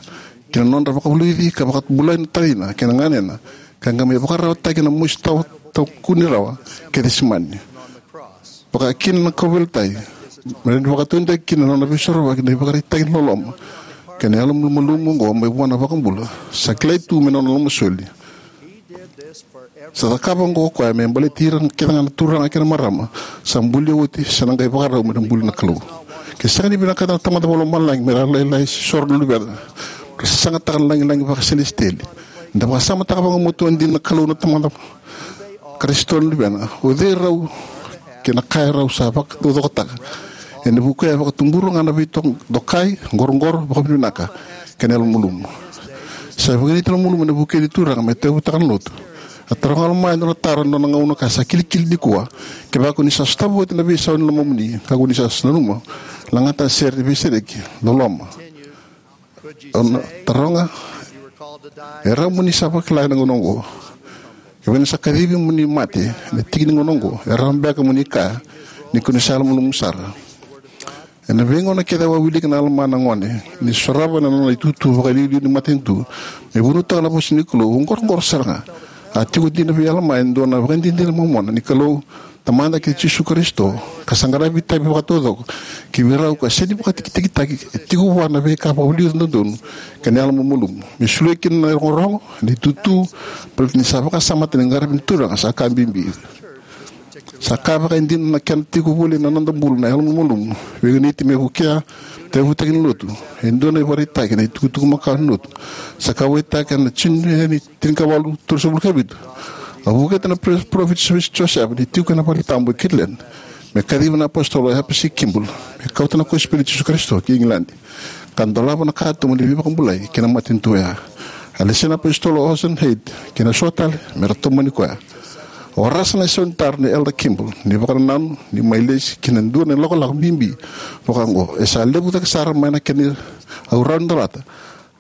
ki na nodra vakavulici ka vakabulai na tacina kei na ganena, ka qai mai vakararawataki na mosi tawa, tawa kuni rawa kei Cesemani. Vakakina na kauveilatai, me rawa ni vakataudeitaki kina na nona veisorovaki na ivakaraitaki ni loloma kei na yalomalumalumu oqo mai vua na iVakabula, sa kilai tu me nona lomasoli. Sa cakava oqo o koya me baleti ira kece ga na turaga kei na marama sa bulia oti se na qai vakarau me na buli na Kalou. Ke sega ni vinakata na Tamada Vakalomalagi me ra lailai se soro na luvena, ra sasagataka na lagilagi vakaselesitieli. Eda vakasamataka vakamuatua dina na Kalou na Tamada, Karisito na Luvena. O cei rau kei na ka e rau sa vakataucokotaka? Ena vuku e vakatubura ga na veitokai, qoroqoro, vakavinavinaka kei na yalomalumalumu. Sa vakayagataki na yalomalumalumu ena vukei ni turaga me tauyavutaka na lotu. A taroga o Alama e dua na taro ena nona gauna ka sa kilikili nikua: Kevaka ko ni sa sotava oti na veisau ni lomamuni, ka ko ni sa nanuma, lagata na sere ni veisereki, loloma. Au na taroga, e rawa mo ni sa vakila ena gauna oqo? Kevaka ni sa kacivi mo ni mate ena tiki ni gauna oqo, e rawa beka mo ni kaya ni ko ni sa yalomalumalumu sara? Ena veigauna kece au a wilika na Alama na gone ni sorova na nona itutu vakailiuliu ni matanitu me vunautaka na vosa ni Kalou, au qoroqoro sara ga. A tiko dina vei Alama e dua na ivakadinadina momona ni Kalou Tamada kei Jisu Karisito, ka sa qaravi itavi vakataucoko ki vei rau ka sega ni vakatikitikitaki, e tiko vua na veika vakaliuca dodonu kei na yalomalumalumu me solia kina na irogorogo, na itutu, baleta ni sa vakasamataka ni qaravi na Turaga sa ka bibi. Sa ka vakaidina na kena tiko voli ena noda bula na yalomalumalumu, veiganiti me vukea, tauyavutaki na lotu. E dua na ivakaraitaki ena itukutuku makawa ni lotu sa kauwaitaka ena June ni tinikawalu tolusagavulu ka vitu. A vukea na Pre-, Parofita Joseph Smith ni tiko ena valetabu e Kirtland me kaciva na Apositolo Heber C. Kimball me kauta na kosipeli i Jisu Karisito ki Igiladi, ka dolava na katuba ni veivakabulai ki na matanitu oya. A lesi na Apositolo Orson Hyde kei na so tale me ra tomani koya. A warasa na isau ni taro nei Elder Kimball ni vakanananu ni mai lesi ki na dua na ilakolako bibi vaka oqo. E sa levu cake sara mai na kena au rawa ni dolata.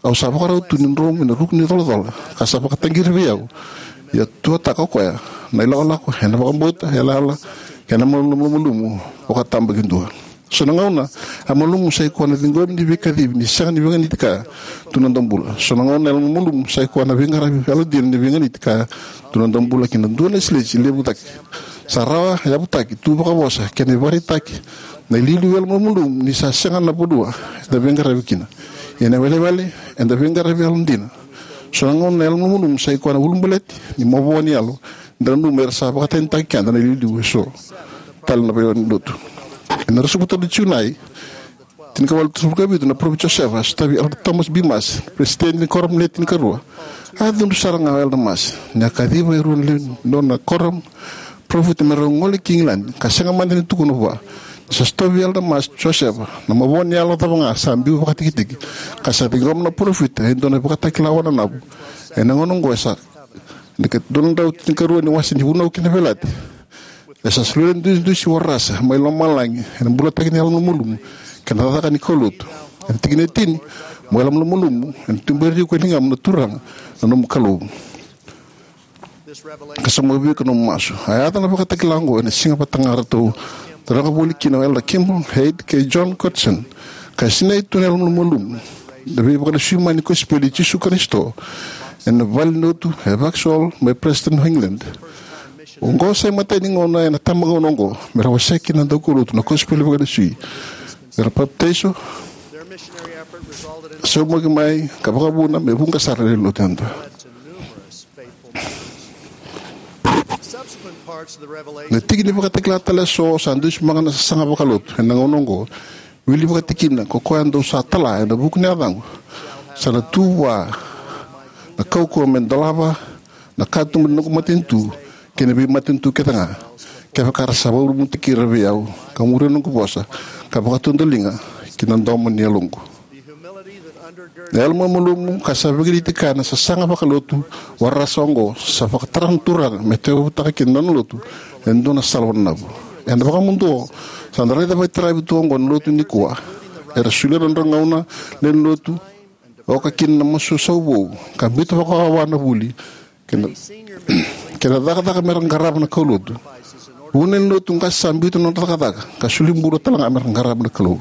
Au sa vakarau tu ni dromu ena ruku ni colacola, ka sa vakataqiri vei au. Ia tuataka o koya na ilakolako ena vakabauta, yalayala kei na yalomalumalumu vakatabakidua. So na gauna, yalomalumalumu sa i koya na ciqomi ni veikacivi ni sega ni veiganiti kaya tu na noda bula. So na gauna, yalomalumalumu sa i koya na veiqaravi yalodina ni veiganiti kaya tu na noda bula ki na dua na ilesilesi levu cake. Sa rawa yavutaki tu vakavosa kei na ivakaraitaki na iliuliu yalomalumalumu ni sa sega na vanua eda veiqaravi kina. Ia na iwalewale, eda veiqaravi yalodina. So na gauna, yalomalumalumu sa i koya na ulubaleti ni mavoa ni yalo, da nanuma era sa vakatanitaki keda na iliuliu eso tale na veilotu. Ena ruasagavulu ka tolu ni Junai, tinikawalu tolusagavulu ka vitu, na Parofita Josefa a sotavi Elder Thomas B. Marsh, peresitedi ni Koramu le tinikarua. A cudru sara ga o Elder Marsh ni a kaciva e rua na lewe ni nona koramu parofita me rau gole ki Igiladi, ka sega mada ni tukuna vua ni sa sotavi Elder Marsh Josefa na mavoa ni yalo cava ga sa biu vakatikitiki, ka sa ciqoma na parofita e dua na ivakatakila wananavu. Ena gauna oqo e sa na ika dua na drau tinikarua ni wase ni Vunau kei na Veiyalayalati. E sa solia na idusidusi warasa mai lomalagi ena bulataki ni yalomalumalumu kei na cakacaka ni kaulotu. Ena tikina e tini: Mo yalomalumalumu, ena tuberi iko e ligamu na Turaga na nomu Kalou. Ka sauma vei iko na nomu masu. A yaco na ivakatakila oqo ena siga vata ga eratou taroga voli kina o Elder Kimball, Hyde kei John Cutson. Ka sinai tu na yalomalumalumu, na veivakalesui mai ni kosipeli i Jisu Karisito, ena valenilotu e Vauxhall mai Preston, England. Oqo sa imatai ni gauna ena itabagauna oqo me ra wasea kina na daukaulotu na kosipeli vakalesui. Me ra papitaiso, saumaki mai ka vakavuna me vuqa sara na lewenilotu yadua. Na tiki ni ivakatakila tale eso sa dusimaka na sasaga vakalotu ena gauna oqo. Wili vakatikina, ko koya dou sa tala ena vuku ni yacaqu, sa na tu vua na kaukauwa me dolava na katuba ni noqu matanitu kei na veimatanitu kece ga, kevaka ra sa vakarumutaki ira vei au ka muria na noqu vosa ka vakatudaliga ki na domo ni yaloqu. Na yalomalumalumu ka sa veiganiti kaya na sasaga vakalotu warasa oqo sa vakatara na Turaga me tauyavutaka kina na nona lotu e dua na sala wananavu. Ena vakamuduo, sa da raica vakaitaravi tu oqo na lotu nikua. Era solia na nodra gauna, lewe ni lotu, oka kina na masu sau vou, ka biuta vakawawa na vuli kei na, kei na cakacaka me ra qarava na kaulotu. Vuna na lewe ni lotu qase sa biuta na nodra cakacaka ka soli bula tale ga me ra qarava na Kalou.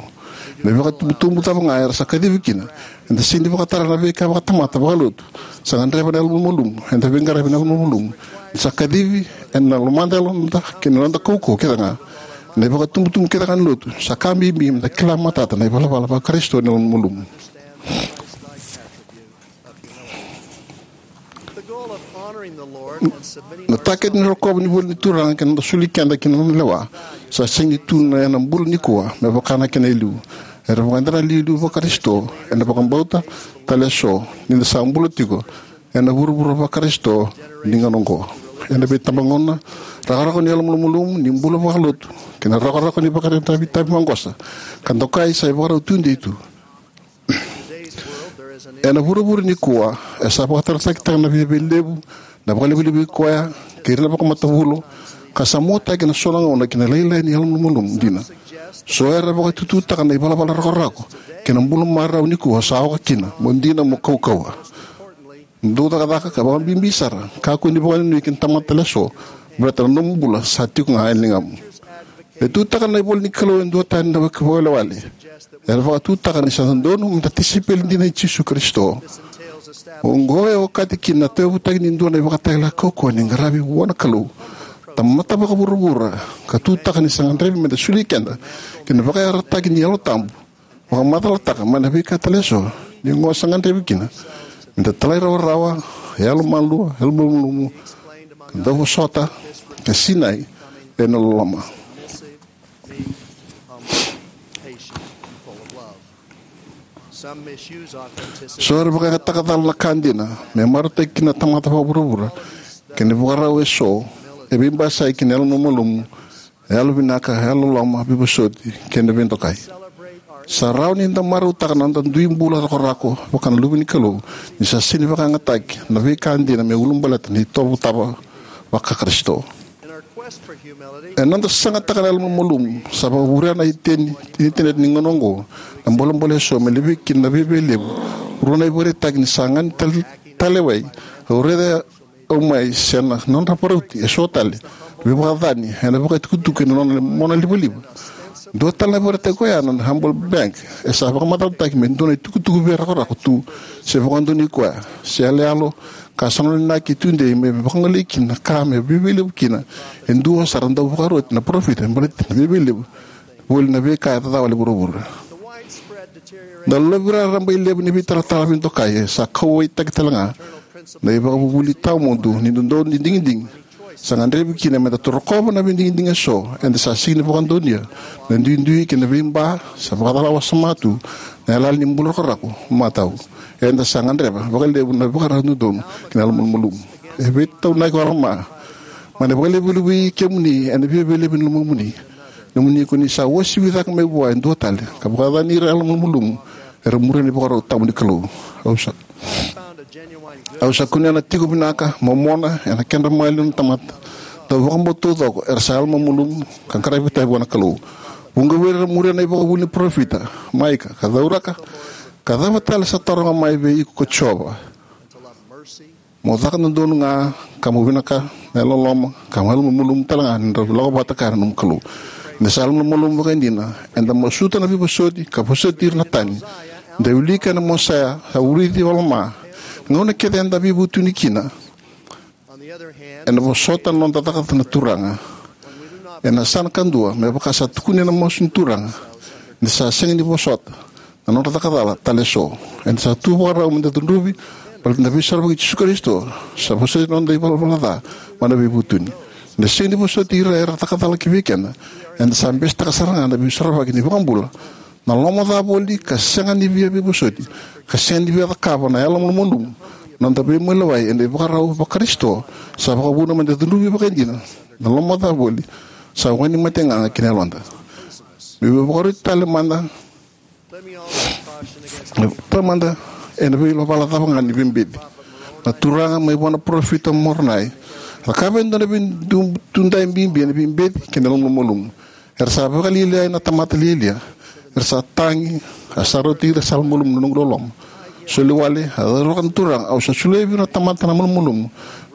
Me vakatubutubu cava ga era sa kacivi kina, eda sega ni vakatara na veika vakatamata vakalotu sa gadreva na yalomalumalumu. Eda veiqaravi ena yalomalumalumu, eda sa kacivi ena lomada, yaloda kei na noda kaukauwa kece ga. Na ivakatubutubu kece ga ni lotu sa ka bibi me da kila matata na ivalavala va-Karisito ni yalomalumalumu. Na takete ni rokova ni vuli ni Turaga kei na noda soli keda ki na nona lewa sa sega ni tu ena bula nikua me vaka na kena e liu. Era vakayadrati na iliuliu va-Karisito ena vakabauta tale eso ni da sa bula tiko ena vuravura va-Karisito ni gauna oqo. Ena veitabagauna, rakorako ni yalomalumalumu, ni bula vakalotu, kei na rakorako ni vakaraitaki maqosa ka dokai sa ivakarau tudei tu. Ena vuravura nikua, e sa vakataratakitaka na viavialevu, na vakalevulevui koya kei ira na vakamatavulo, ka sa muataki ena so na gauna ki na lailai ni yalomalumalumu dina. So era vakatututaka na ivalavala rakorako kei na bula marau nikua sa oka kina mo dina mo kaukauwa. Dau cakacaka ka vakabibi sara, kakua ni vakanuinui ki na tamata tale eso, baleta na nomu bula sa tiko ga e ligamu. E tutaka na ivola ni Kalou e duatani na vakaiwalewale. Era vakatutaka ni sa dodonu me da tisaipeli dina i Jisu Karisito. Oqo e okati kina na tauyavutaki ni dua na ivakatakila kaukauwa ni qaravi vua na Kalou, tamata vakavuravura, ka tutaka ni sa gadrevi me da soli keda ki na vakayarataki ni Yalo Tabu, vakamacalataka mai na veika tale eso ni oqo sa gadrevi kina me da talairawarawa, yalomalua, yalomalumalumu, ka dauvosota, ka sinai ena loloma. So era vakayagataka cala na ka dina me marautaki kina na tamata vakavuravura, kei na ivakarau eso e veibasai kei na yalomalumalumu, yalovinaka, yalololoma, veivosoti, kei na veidokai. Sa rawa ni da marautaka na noda dui bula rakorako vaka na luve ni Kalou, ni sa sega ni vakayagataki na veika dina me ulabaleta na itovo tawa vaka-Karisito. Ena noda sagataka na yalomalumalumu, sa vakavurea na iteni, initaneti ni gauna oqo na bolebole eso me levei kina na viavialevu. Rua na ivakaraitaki ni saga ni tal-, talewai, au raica au mai se na nodra varauti eso tale, veivakacacani ena vakatukutuku ena nona monalivaliva. Dua tale na ivakaraitaki koya na Humble Bank, e sa vakamacalataki me dua na itukutuku veirakorako tu se vakadonui koya, se yaloyalo, ka sa nona inaki tudei me vakagolei kina na ka me viavialevu kina. E dua sara dau vakaroti na parofita me baleti na viavialevu voli na veika e cacawale vuravura. Na lovi raraba i levu ni veitalatala veidokai e sa kauwaitaki tale ga na ivakavuvuli tawamudu ni dodonu ni digidigi. Sa gadrevi kina me da torokova na veidigidigi eso eda sa sega ni vakadonuya, na duidui kei na veiba sa vakacala wasoma tu na yalayala ni bula rakorako matau. Eda sa gadreva vakalevu na ivakarau dodonu kei na yalomalumalumu. E veitaunaki o Alama mai na vakalevulevui kemuni ena viavialevu ni lomamuni, nomuni ko ni sa uasivi cake mai vua e dua tale, ka vakacacani ira na yalomalumalumu era muria na ivakarau tabu ni Kalou. Au sa, au sa kunea na tiko vinaka momona ena kedra maliwa na tamata dau vakabauta taucoko era sa yalomalumalumu ka qaravi vata vua na Kalou. Vuqa vei ira era muria na ivakavuvuli ni parofita Maika, ka cauraka, ka cava tale sa taroga mai vei iko ko Jiova? Mo caka dodonu ga, ka mo vinaka, na yalololoma, ka mo yalomalumalumu tale ga ni drau lako vata kaya na nomu Kalou. Ni da sa yalomalumalumu vakaidina, eda masuta na veivosoti ka vosoti ira na tani. Da wilika ena Mosaia, sa vulici o Alama. Gauna kece eda veivutuni kina ena vosota na noda cakacaka na Turaga. Ena yasana kadua, me vaka sa tukuni ena masu ni Turaga, ni da sa sega ni vosota na nodra caka cala tale eso, eda sa tu vakarau me da cudruvi baleta na Veisorovaki i Jisu Karisito. Sa vosoti na noda ivalavala ca mai na veivutuni. Ni da sega ni vosoti ira era caka cala ki vei keda, eda sa besetaka sara ga na Veisorovaki ni iVakabula. Na loma ca voli ka sega ni via veivosoti, ka sega ni via cakava na yalomalumalumu, na noda veimaliwai ena ivakarau va-Karisito, sa vakavuna me da cudruvi vakaidina na loma ca voli sa wainimate gaga ki na yaloda. Meu vakaroti tale mada, tale mada ena veivala cava ga ni veibeci. Na Turaga mai vua na parofita Moronai, cakava e dua na veidudui bibi ena veibeci kei na yalomalumalumu. Era sa vakalialiai na tamata lialia, Era sa tagi, a sa rauti ira sa malumalumu na noqu loloma. Soli wale, a cauravou na Turaga, au sa solia vei ira na tamata na malumalumu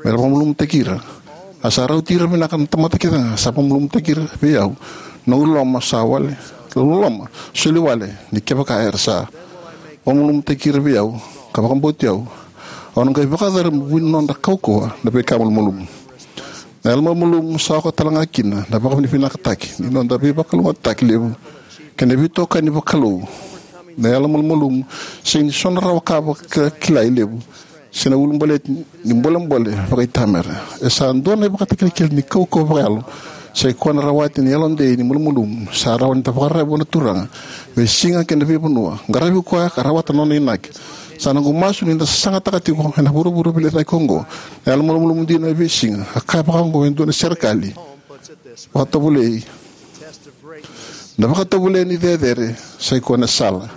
me ra vakamalumalumutaki ira. A sa rauti ira vinaka na tamata kece ga sa vakamalumalumutaki ira vei au. Noqu loloma sa wale, loloma, soli wale, ni kevaka era sa vakamalumalumutaki ira vei au ka vakabauti au, au na qai vakayacora me vuni nodra kaukauwa na veika malumalumu. Na yalomalumalumu sa oka tale ga kina na vakavinavinakataki ni noda veivakalougatataki levu kei na veitokani vakalou. Na yalomalumalumu sega ni so na rawa ka vakilai levu se na ulabaleti ni bolebole vakaitamera. E sa dua na ivakatakilakila ni kaukauwa vakayalo, sai koya na rawati ni yalodei ni malumalumu sa rawa ni da vakararavi vua na Turaga, veisiga kei na veivanua. Qaravi koya ka rawata na nona inaki. Sa noqu masu ni da sasagataka tiko ena vuravura veiliutaki oqo na yalomalumalumu dina e veisiga. A kaya vakaoqo e dua na serekali vakatovolei: Na vakatovolei ni cecere sai koya na sala.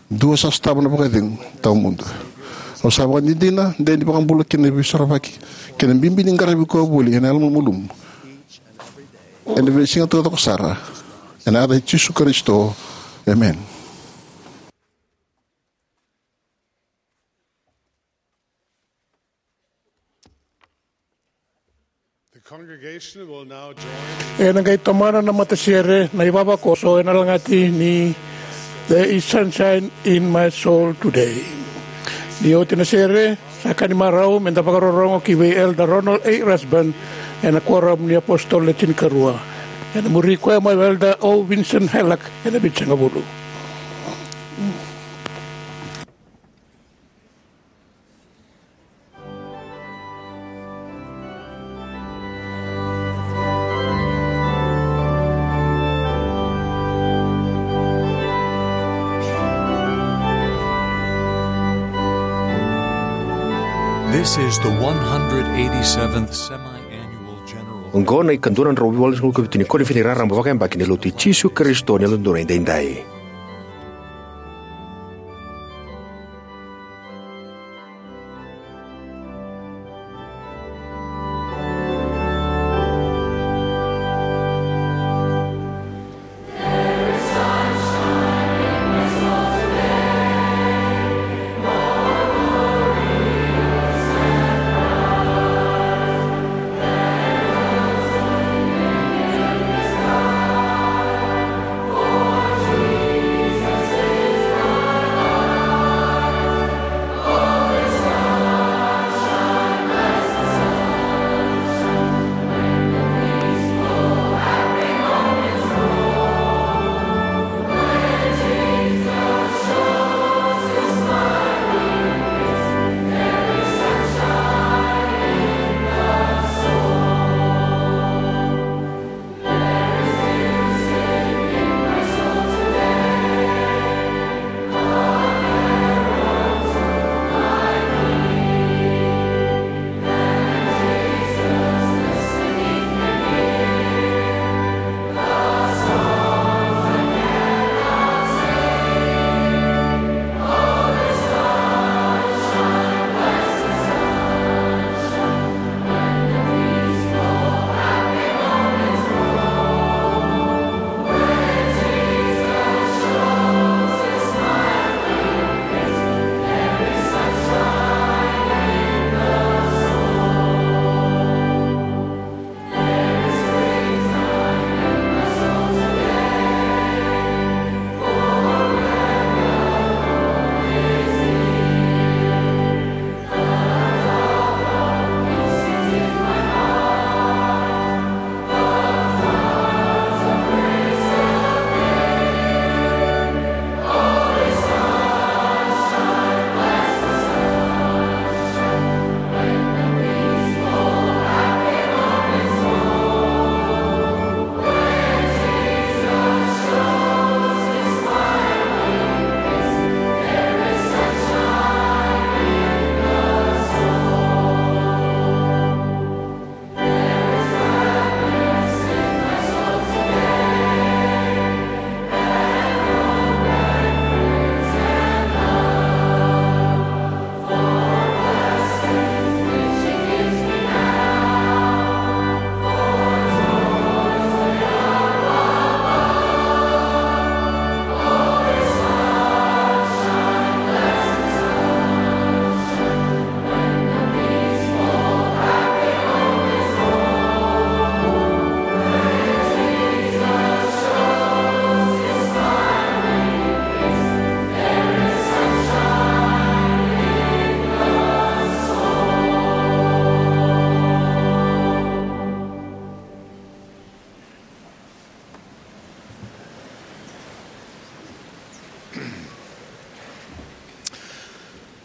Dua sa sotava na vakacegu tawamudu. Au sa vakadinadina de ni vakabula kei na veisorovaki kei na bibi ni qaravi koya voli ena yalomalumalumu ena veisiga taucoko sara. Ena yaca i Jisu Karisito, emeni. The congregation will now join. Ena qai tomana na matasere na ivavakoso ena lagati ni There is Sunshine in My Soul Today. Ni oti na sere, sa ka ni marau me da vakarorogo ki vei Elder Ronald A. Rasband ena Kuoramu ni Apositolo Le Tinikarua. Ena muri koya mai o Elder O. Vincent Helack ena Vitusagavulu. This is the one hundred eighty-seventh semi-annual general. Oqo na ikadua na drau walusagavulu ka vitu ni koniferedi raraba vakayabaki ni Lotu i Jisu Karisito ni Yalododonu Edaidai.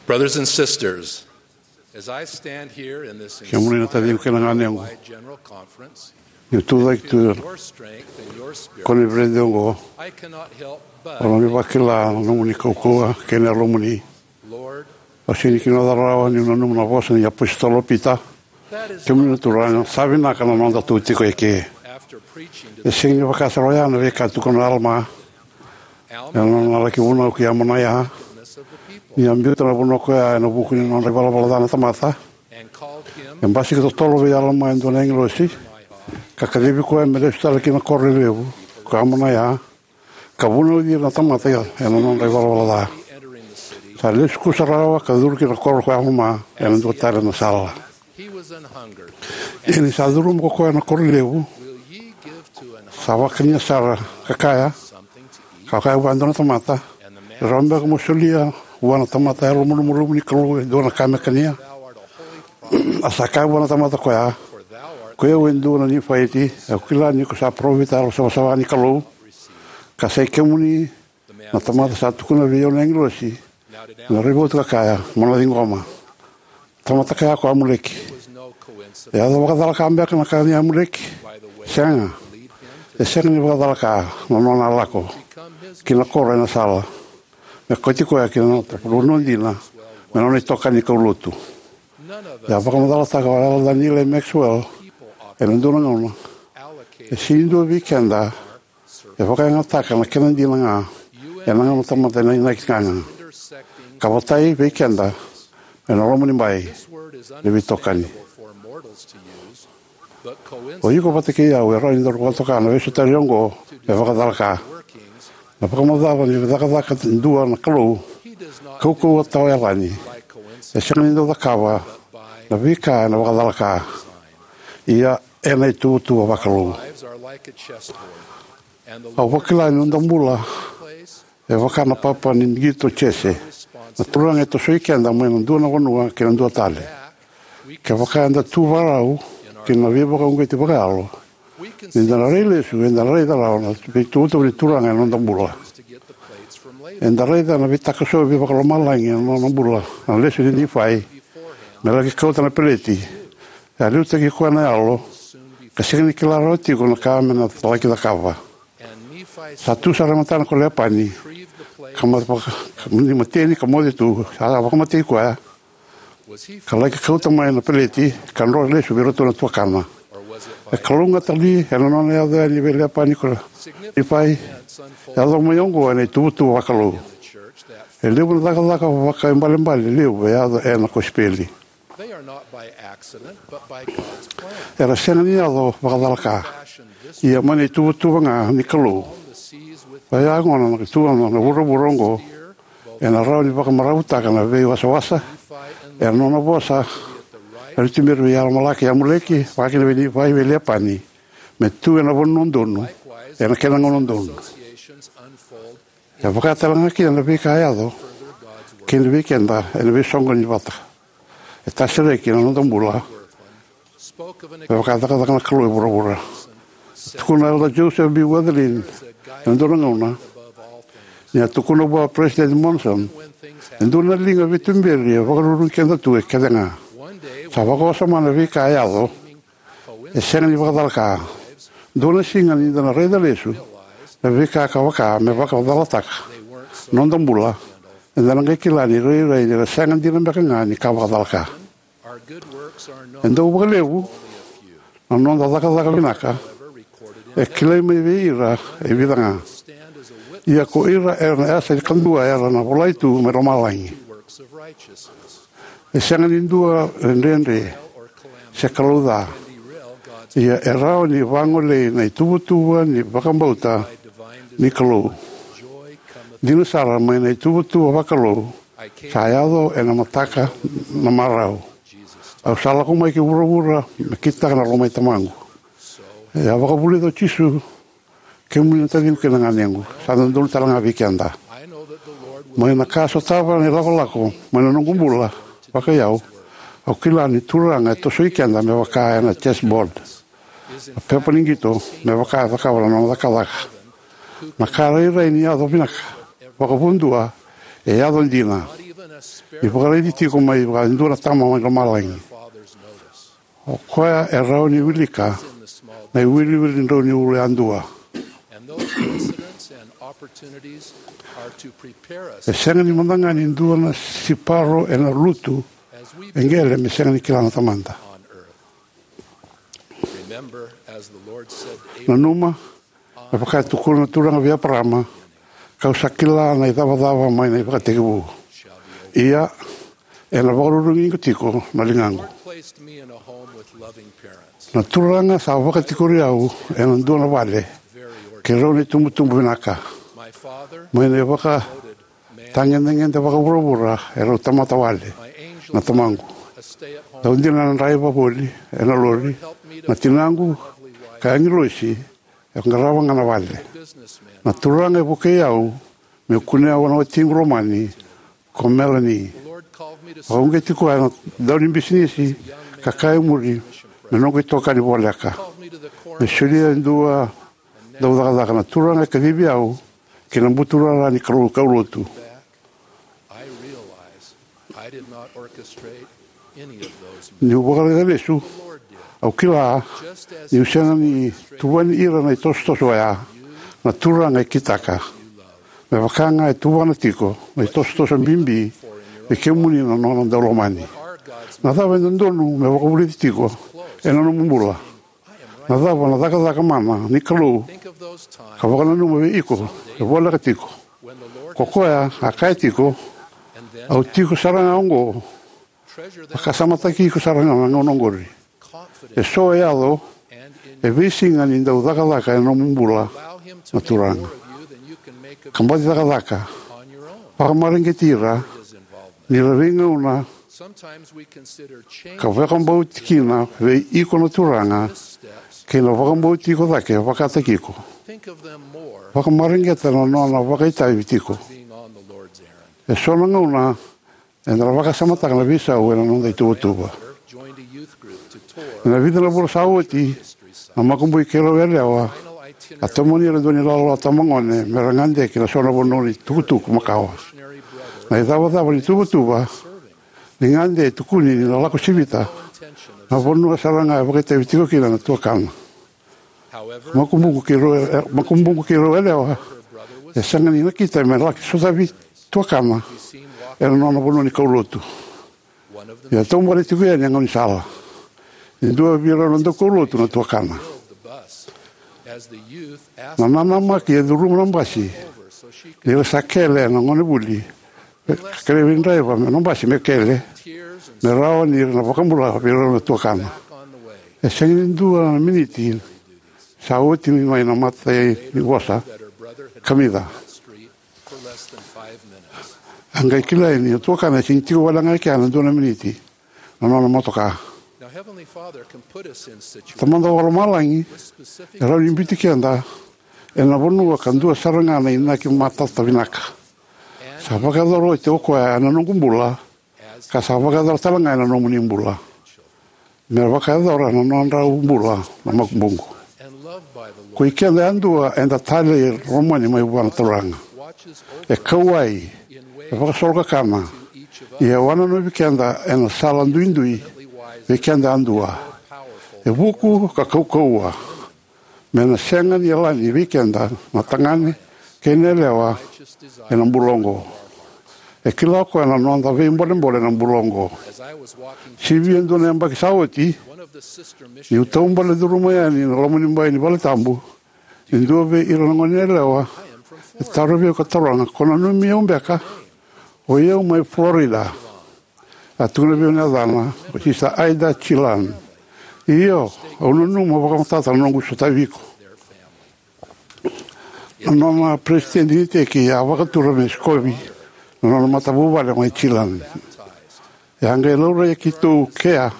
Brothers and sisters, as I stand here in this Kemuni na taciqu kei na ganequ, wide general conference, niu tucake tu your strength and your spirit, koniferedi oqo, I cannot help but au na vakila na nomuni kaukauwa kei na yalomuni. Lord, au sega ni kila rawa niu nanuma na vosa ni apositolo o Pita. Kemuni na Turaga, sa vinaka na noda tu tiko eke. E sega ni vaka sara oya na veika tukuna o Alama ena nona laki vunau ki Amonaia. Ni a biuta na vunau ko ya ena vuku ni nodra ivalavala ca na tamata, e basika totolo vei Alama e dua na agilosi, ka kacivi koya me lesu tale ki na koro lelevu ko Amonaia, ka vunauci ira na tamata ena nodra ivalavala ca. Sa lesu kusarawa ka curu ki na koro ko Alama ena dua tale na sala. Ia ni sa curuma ko koya na koro levu, sa vakania sara ka kaya, ka kaya vua e dua na tamata, e rawa beka mo solia vua na tamata yalomalumalumu ni Kalou e dua na ka me kania? A sa kaya vua na tamata koya, ko i au e dua na Nifaiti, au kila ni ko sa parofita yalosavasava ni Kalou, ka sa i kemuni na tamata sa tukuna vei au na agilosi, na raivotu ka kaya, mo na ciqoma. Tamata kaya ko Amuleki. E yaco vakacalaka beka na ka nei Amuleki? Sega. E sega ni vakacalaka na nona lako ki na koro ena sala me kauti koya ki na nona vanua dina me nona itokani kaulotu. E a vakamacalataka o Elder Neal A. Maxwell ena dua na gauna, e sega ni dua vei keda e vakayagataka na kena dina ga ena gauna tamata ena inaki gaga, ka votai vei keda ena loma ni bai ni veitokani. O iko vata kei au e rawa ni daru vakatoka na veisotari oqo me vakacalaka. Na vakamacala ni cakacaka dua na Kalou kaukauwa tawayalani e sega ni dau cakava na veika ena vakacalaka, ia ena ituvatuva vakalou. Au vakila ni noda bula e vaka na papa ni qito chess. Na Turaga e tosoi keda mai na dua na vanua ki na dua tale. Kevaka eda tu vakarau ki na veivakauqeti vakayalo, ni da na rai lesu, eda na raica rawa na veituvatuva ni Turaga ena noda bula. Eda raica na veitakasovi vakalomalagi ena nona bula na lesu nei Nifai me laki kauta na peleti. E a liutaki koya na yalo ka sega ni kila rawa tiko na ka me na laki cakava. Sa tu sara e matana ko Lepani, ka ma- vaka- ka ni mateni ka moce tu, sa vakamatei koya, ka laki kauta mai na peleti ka dro lesu vei iratou na tuakana. E kalougata li ena nona yaco yani vei Lepani ko Nifai? Yaco mai oqo ena ituvatuva vakalou. E levu na cakacaka vakaibalebale levu e yaco ena kosipeli. Era sega ni yaco vakacalaka, ia mai na ituvatuva ga ni Kalou. Oya gona na ituvatuva na vuravura oqo ena rawa ni vakamaravutaka na veiwasawasa. Ena nona vosa, era tuberi vei Alamalaki, Amuleki, vakakina vei Nifai, vei Lepani, me tu ena vanua donu ena kena gauna donu. E vaka tale ga kina na veika e yaco kina vei keda ena veisoqoni vata. E tasereki na noda bula me vaka cakacaka na Kalou e vuravura. Tukuna o Elder Joseph B. Wirthlin ena dua na gauna, ni a tukuna vua o President Monson, e dua na liga veituberi e vakarurugi keda tu e kece ga. Sa vakawasoma na veika e yaco, e sega ni vakacalaka. Dua na siga ni da na raica lesu na veika ka vaka me vakacalataka noda bula, eda na qai kila ni rairai ni ra sega dina beka ga ni ka vakacalaka. E dau vakalevu na noda cakacaka vinaka, e kilai mai vei ira e vica ga. Ia ko ira era na yasa ni kadua era na volai tu mai lomalagi. E sega ni dua e dredre se kalou ca. Ia e rawa ni vagolei na ituvatuva ni vakabauta ni Kalou. Dina sara mai na ituvatuva vakalou sa yaco ena mataka na marau. Au sa lako mai ki vuravura me kitaka na lomai Tamaqu. E a vakavulica o Jisu, kemuni na taciqu kei na ganequ, sa dodonu tale ga vei keda. Mai na ka sotava na ilakolako mai na noqu bula vakaiyau, au kila ni Turaga e tosoi keda me vaka ena chessboard. Na pepa ni qito me vaka e cakava na nona cakacaka. Na ka rairai ni yaco vinaka vakavudua e yaco dina. ni vakaraici tiko mai vua e dua na tama mai lomalagi. O koya e rawa ni wilika na iwiliwili drau ni ulu yadua. E sega ni mada ga ni dua na siparo ena lutu e qele me sega ni kila na Tamada. Nanuma, me vaka e tukuna na Turaga vei Eparaama, kau sa kila na icavacava mai na ivakatekivu. Ia, ena vakarurugi iko tiko na ligaqu. Na Turaga sa vakatikori au ena dua na vale kei rau na itubutubu vinaka. Mai na ivakatagedegede vakavuravura e rau tamata wale. Na tamaqu, dau dina na draiva voli ena lori. Na tinaqu, ka agilosi, e qarava ga na vale. Na Turaga e vukei au meu kunea vua na watiqu lomani, ko Melanie. Vakauqeti koya na daunibisinisi ka kaya e muri me noqu itokani voleka me solia e dua daucakacaka. Na Turaga e kacivi au ki na buturara ni kau- kaulotu. Niu vakaraica lesu, au kila niu sega ni tuvani ira na itosotoso oya. Na Turaga e kitaka, me vaka ga e tuvana tiko na itosotoso bibi vei kemuni na nona daulomani. Na cava e dodonu me vakavulici tiko ena nomu bula? Na cava na cakacaka mana ni Kalou? Ka vakananuma vei iko e voleka tiko. Ko koya a kaya tiko, au tiko sara ga oqo. Vakasamataki iko sara ga na gauna oqori. E so e yaco e veisiga ni dau cakacaka ena nomu bula na Turaga. Ka baci cakacaka, vakamareqeti ira ni ra veigauna ka vakabauti kina vei iko na Turaga kei na vakabauti iko cake vakataki iko. Vakamareqeta na nona vakaitavi tiko. E so na gauna eda na vakasamataka na veisau ena noda ituvatuva. Ena vica na vula sa oti, na makubui keirau yalewa a tomani ira dua ni lalawa tamagone me ra gade ki na so na vanua ni tukutuku makawa. Na icavacava ni tuvatuva ni gade e tukuni ni na lako sivita na vanua sara ga e vakaitavi tiko kina na tuakana. Makubuqu keirau, makubuqu keirau yalewa e sega ni nakita me laki sotavi tuakana ena nona vanua ni kaulotu. Ia taubale tiko yani a gaunisala. E dua vei rau na daukaulotu na tuakana. Na nanamaki e curuma na basi ni ra sa kele na gonevuli, ka kerei vei draiva na basi me kele me rawa ni ra na vakabula vei rau na tuakana. E sega ni dua na miniti sa oti mai na mata ni vosa, kamica. A qai kilai ni na tuakana e sega ni tiko wale ga e kea na dua na miniti na nona motoka. Tamada Vakalomalagi e rawa ni biuti keda ena vanua ka dua sara ga na inaki matata vinaka. Sa vakayacora oti o koya ena noqu bula, ka sa vakayacora tale ga ena nomuni bula. Me vakayacora na nodrau bula na makubuqu. Ko i keda yadua eda talei lomani mai vua na Turaga. E kauwai, e vakasolokakana, ia e wananovi keda ena sala duidui vei keda yadua. E vuku ka kaukauwa me na sega ni yalani vei keda na tagane kei na yalewa ena bula oqo. E kila o koya na noda veibolebole ena bula oqo. Sivia e dua na yabaki sa oti, niu taubale curuma yani na lomanibai ni valetabu, e dua vei ira na gone yalewa e tarovi au ka taroga, ko nanumi au beka? O i au mai Florida. A tukuna vei au na yacana, o Sisa Ida Chilan. Io, au nanuma vakamatata na noqu sotavi iko. Na nona peresitedi ni iteki a vakatura me sikovi na nona matavuvale mai Chilan. E a qai laurai keitou kea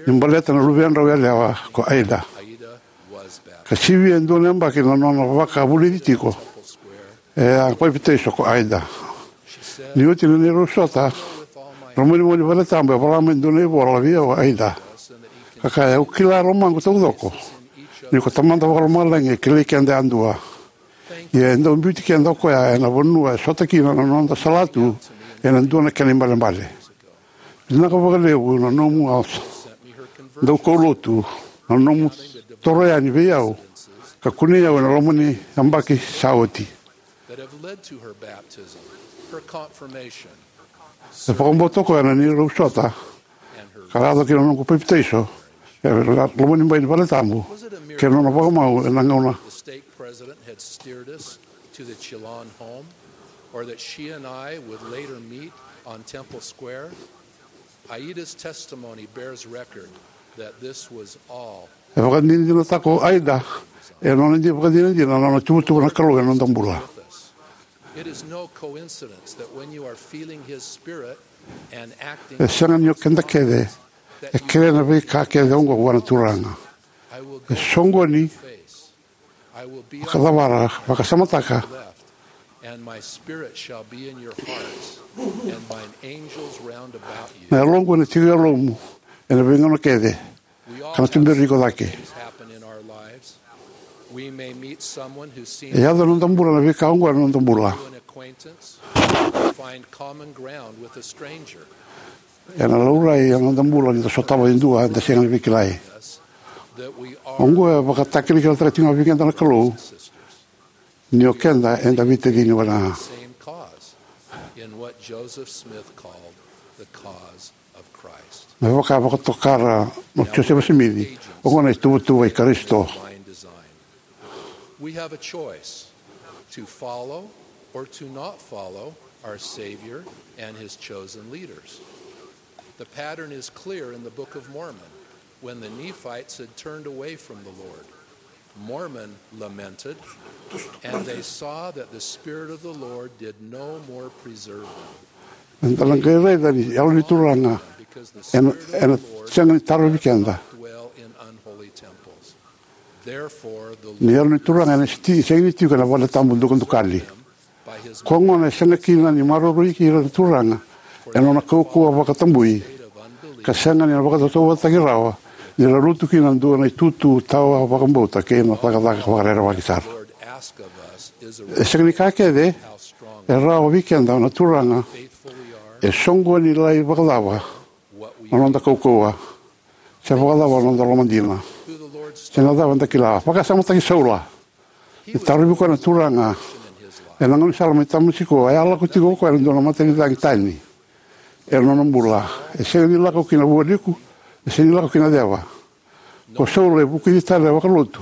ni baleta na luvedrau yalewa ko Aida. Ka sivia e dua na yabaki na nona vakavulici tiko, e a papitaiso ko Aida. Ni oti na neirau sota, na lomanibai ni valetabu e vola mai e dua na ivola vei au o Aida, ka kaya, au kila e lomaqu taucoko ni ko Tamada Vakalomalagi e kilai keda yadua. Ia e dau biuti keda o koya ena vanua e sota kina na noda salatu ena dua na kena ibalebale. Vinaka vakalevu na nomu a daukaulotu, na nomu toro yani vei au ka kunei au ena loma ni yabaki sa oti. That have led to her baptism, her confirmation, E vakabauta o koya na neirau sota and her ka yaco kina na noqu papitaiso e loma ni bai ni vale tabu kei na nona vakamau ena gauna. The stake president had steered us to the Chillon home, or that she and I would later meet on Temple Square. Aida's testimony bears record that this was all. E vakadinadinataka o Aida e nona di vakadinadina na nona tuvatuva na Kalou ena noda bula. It is no coincidence that when you are feeling his spirit and acting E sega ni o keda kece e kere na veika kece oqo vua na Turaga. I will E go soqoni face. I will be vakacavara, vakasamataka. Left, and my spirit shall be in your hearts, and mine angels round about you. Na yaloqu ena tiko e yalomu ena veigauna kece. We all ka na tuberi iko cake. Things happen in our lives. We may meet someone who seems E yaco na noda bula na veika oqo ena noda bula. An acquaintance, find common ground with a stranger. Ena laurai ena noda bula ni da sotava e dua eda sega ni veikilai. That we are Oqo e vakatakilakilataka tiko ga vei keda na Kalou ni o keda eda veitacini wale ga. Same cause in what Joseph Smith called the cause of Christ. Me vaka vakatokara na Josefa Simici, oqo na ituvatuva i Karisito. Divine design. We have a choice to follow or to not follow our Savior and his chosen leaders. The pattern is clear in the Book of Mormon when the Nephites had turned away from the Lord. Mormon lamented, and they saw that the Spirit of the Lord did no more preserve them. Eda na qai raica ni yalo ni Turaga ena, ena sega ni tarovi keda. Dwell in unholy temples. Therefore, the Ni yalo ni Turaga ena sega ni tiko ena vale tabu dukadukali. Ko gona e sega kina ni maroroi ira na Turaga ena nona kaukauwa vakatabui, ka sega ni na vakatautauvatataki rawa ni ra lutu kina dua na itutu tawa vakabauta kei na cakacaka vakarerevaki sara. E sega ni ka kece e rawa vei keda na Turaga e soqoni lai vakacava na noda kaukauwa, se vakacava na noda lomadina, se na cava eda kila. Vakasamataki Saula. E tarovi koya na Turaga ena gaunisala mai Tamasiko, e a lako tiko o koya ena dua na matanicagi tani ena nona bula. E sega ni lako ki na vualiku, e sega ni lako ki na ceva. Ko Saula e vukici tale vakalotu.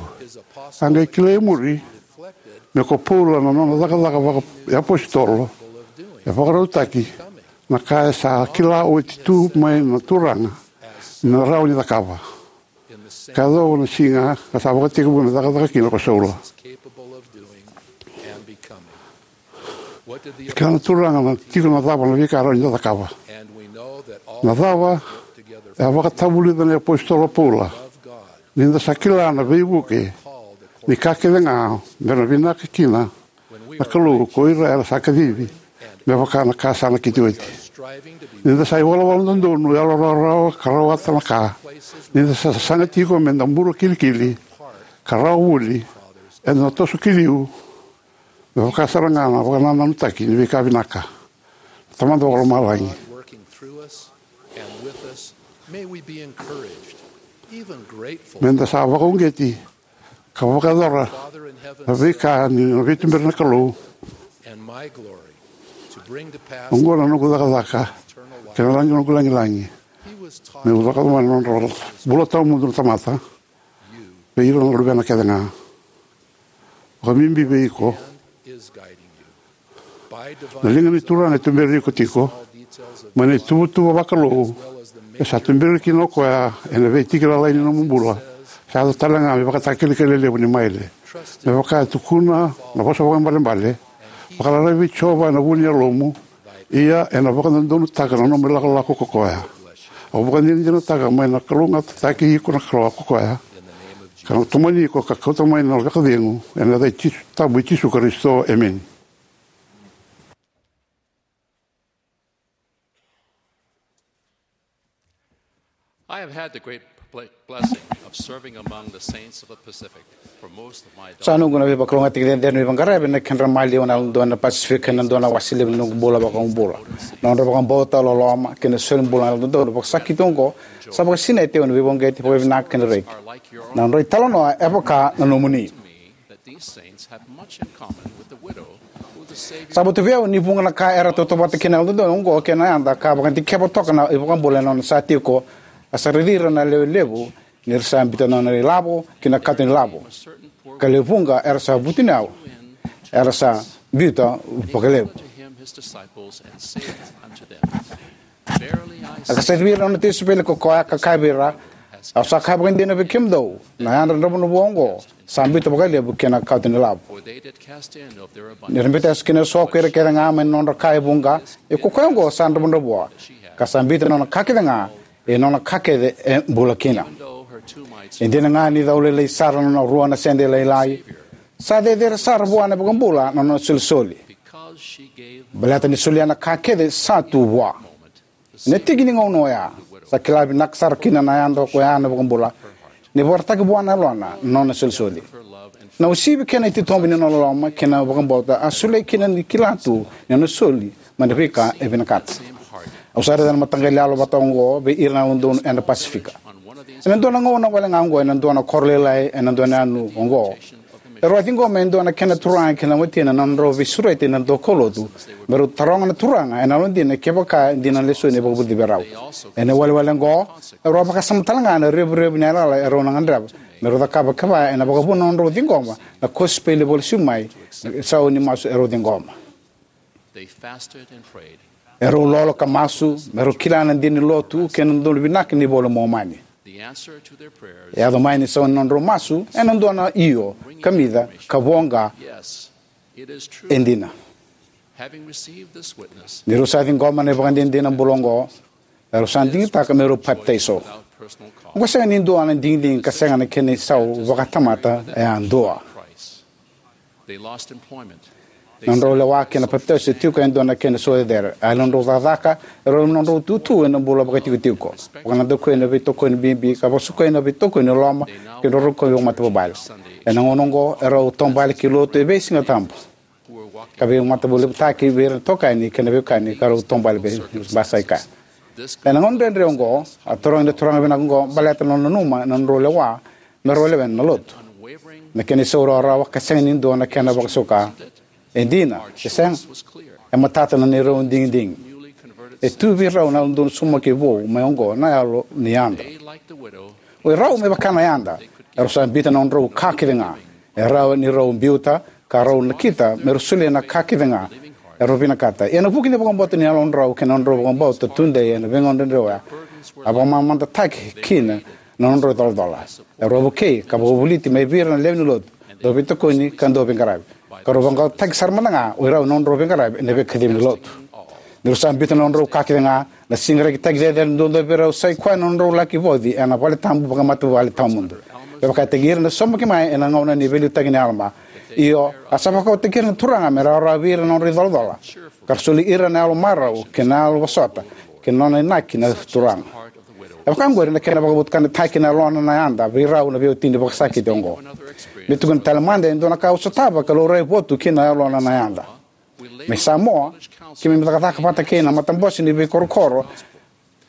A qai kilai e muri me ko Paula na nona cakacaka vaka e apositolo e vakarautaki na ka e sa kila oti tu mai na Turaga ni na rawa ni cakava. Ka yacova na siga ka sa vakatekivu me cakacaka kina ko Saula. Kila na Turaga na tiko na cava na veika rawa ni da cakava. Na cava e a vakatavulica na apositolo Paula, ni da sa kila na veivuke ni ka kece ga me na vinaka kina na Kalou ko ira era sa kacivi me vaka na ka sa nakiti oti. Ni da sa ivalavala dodonu, yalo rawarawa ka rawata na ka, ni da sa sasaga tiko me da bula kilikili ka rawa voli, eda na toso ki liu me vaka sara ga na vakanananutaki ni veika vinaka. Tamada Vakalomalagi, me da sa vakauqeti ka vakayacora na veika ni na veituberi na Kalou. Oqo na noqu cakacaka kei na lagi noqu lagilagi. Meu cakava mai na nodra bula tawamudu na tamata vei ira na luvena kece ga. Vakabibi vei iko. Na liga ni Turaga e tuberi iko tiko mai na ituvatuva vakalou e sa tuberi kina o koya ena veitikina lalai ni nomu bula. Sa yaco tale ga me vakatakilakila levu ni maile. Me vaka e tukuna na vosa vakaibalebale, vakararavi vei Jiova ena vu ni yalomu, ia ena vakadodonutaka na nomu ilakolako ko koya. Au vakadinadinataka mai na kalougatataki iko na Kalou ko koya, ka na tomani iko ka kauta mai na vakacegu ena yaca i Jisu, tabu i Jisu Karisito. Emeni. I have had the great Ple- blessing of serving among the saints of the Pacific for most of my Sa noqu na veivakalougatataki cecere ni veiqaravi ena kedra maliwa na Yalododonu ena Pasifika ena dua na wase levu ni noqu bula vakaiukubalebula. Na nodra vakabauta, loloma kei na solibula na Yalododonu vakasakiti oqo sa vakasinaiti au ena veivakauqeti, vakavinaka kei na reki. Na nodra italanoa e vaka na nomuni. Sa votu vei au ni vuqa na ka era tautauvata kina na Yalododonu oqo kei na yada ka vakadikeva toka na iVakabula ena nona sa tiko. A sa raici ira na lewe levu ni ra sa biuta na nona ilavo ki na kato ni lavo, ka lewe vuqa era sa vutuniyau era sa biuta vakalevu. A ka sa raici ira na nona tisaipeli ko koya ka kaya vei ira, au sa kaya vakaidina vei kemudou, na yadra dravudravua oqo sa biuta vakalevu ki na kato ni lavo. Ni ra biuta eso kina eso ko ira kece ga mai na nodra ka e vuqa, ia ko koya oqo sa dravudravua, ka sa biuta na nona ka kece ga, e nona ka kece e bula kina. E dina ga ni cau lailai sara na nona rua na sede lailai, sa cecere sara vua na iVakabula na nona solisoli, baleta ni solia na ka kece sa tu vua. Ena tiki ni gauna oya, sa kila vinaka sara kina na yada ko ya na iVakabula, ni vakaraitaki vua na yalona na nona solisoli. Na uasivi kei na ititobu ni nona loloma kei na vakabauta a solia kina ni kila tu ni nona soli mai na veika e vinakata. Au sa raica na mataqali yalo vata oqo vei ira na Yalododonu ena Pasifika. Ena dua na gauna wale ga oqo ena dua na koro lailai ena dua na yanu oqo, erau a ciqoma e dua na kena turaga kei na watina na nodrau veisureti na daukaulotu me rau taroga na Turaga ena yalodina kevaka e dina na lesoni e vakavulici vei rau. Ena iwalewale oqo, erau a vakasama tale ga na revurevu ni yalayala erau na gadreva me rau cakava kevaka ena vakavuna na nodrau ciqoma na kosipeli e vakalesui mai na isau ni masu erau ciqoma. Erau lolo ka masu me rau kila na dina ni lotu kei na dodonu vinaka ni iVola i Momani. E yaco mai na isau ni nodrau masu ena dua na io, kamica, ka voqa, e dina. Ni rau sa ciqoma na ivakadinadina bula oqo, erau sa digitaka me rau papitaiso. Oqo sega ni dua na digidigi ka sega na kena isau vakatamata yadua. Na nodrau lewa kei na papitaiso e tiko e dua na kena isau cecere. A yali na nodrau cakacaka, erau yali na nodrau itutu ena bula vakaitikotiko, vakanadakuya na veitokoni bibi ka vakasukai na veitokoni ni loloma kei na rokovi vakamatavuvale. Ena gauna oqo, erau taubale ki lotu e veisiga tabu, ka veimatavulevutaki vei ira na itokani kei na veiwekani ka rau taubale vei basai kaya. Ena gauna dredre oqo, a tarogi na turaga vinaka oqo baleta na nona nanuma na nodrau lewa me rau lewena na lotu. Na kena isau rawarawa ka sega ni dua na kena vakasuka. E dina se sega, e matata na neirau digidigi. E tu vei rau na Yalododonu saumaki vou mai oqo na yalo ni yada. O irau me vaka na yada, erau sa biuta na nodrau ka kece ga. E rawa ni rau biuta ka rau nakita me rau solia na ka kece ga erau vinakata. Ia na vuku ni vakabauta ni yalodrau kei na nodrau vakabauta tudei ena veigauna dredre oya, a vakamamadataki kina na nodrau icolacola. Erau a vukei ka vakavoliti mai vei ira na lewe ni lotu, dau veitokoni ka dau veiqaravi, ka rau vaqaqacotaki sara mada ga o irau na nodrau veiqaravi ena veikacivi ni lotu. Ni rau sa biuta na nodrau ka kece ga, na siga rekitaki cecere duadua vei rau sa i koya na nodrau laki vauci ena valetabu vakamatavuvale tawamudu. Me vakataki ira na saumaki mai ena gauna ni veiliutaki ni Alama. Io, a sa vakaukauwataki ira na Turaga me rawarawa vei ira na nodra icolacola, ka ra soli ira na yalo marau kei na yalo vosota kei na nona inaki na Turaga. E vaka oqori na kena vakavotukanataki na yalona na yada vei rau na veiwatini vakasakiti oqo. Me tukuna tale mada e dua na ka au sotava ka laurai votu kina na yalona na yada. Mai Samoa, keimami cakacaka vata kei na matabose ni veikorokoro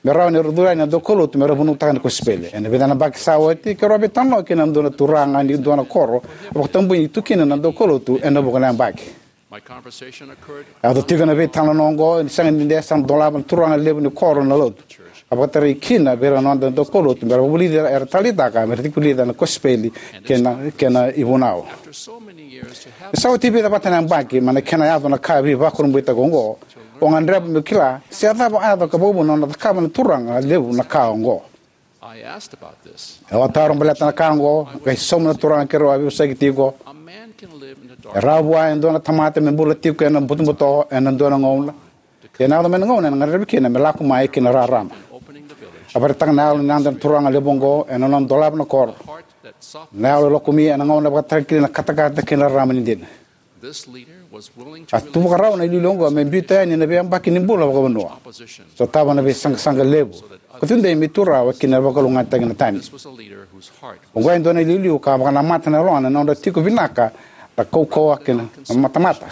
me rawa ni ra curu yani na daukaulotu me ra vunautaka na kosipeli. Ena vica na yabaki sa oti, keirau a veitalanoa kei na dua na turaga ni dua na koro a vakatabui ni tu kina na daukaulotu ena vuqa na yabaki. A yaco tiko na veitalanoa oqo ni sega ni dua sa dolava na turaga levu ni koro na lotu, ka vakatarai kina vei ira na noda daukaulotu me ra vakavulici ira era taleitaka me ra tiko vulica na kosipeli kei na kena ivunau. Ni sa oti e vica vata na yabaki mai na kena yaco na ka veivakurabuitaki oqo, au gadreva meu kila se a cava a yaco ka vakavuna na nona cakava na turaga levu na ka oqo. Au a taro baleta na ka oqo, qai sauma na turaga keirau a veivosaki tiko. E rawa vua e dua na tamata me bula tiko ena butobuto ena dua na gauna, ia ena yaco mai na gauna ena gadrevi kina me lako mai ki na rarama. A vakaraitaka na yalo ni yada na turaga levu oqo ena nona dolava na koro. Na yalo e lokomi ena gauna e vakatarai kina na katakata kei na rarama ni dina. A tuvakarau na iliuliu oqo me biuta yani na veiyabaki ni bula vakavanua, sotava na veisaqasaqa levu, ka tudei me tu rawa ki na vakalougatataki na tani. Oqo e dua na iliuliu ka vakanamata na yalona ena nodra tiko vinaka na kaukauwa kei na matamata,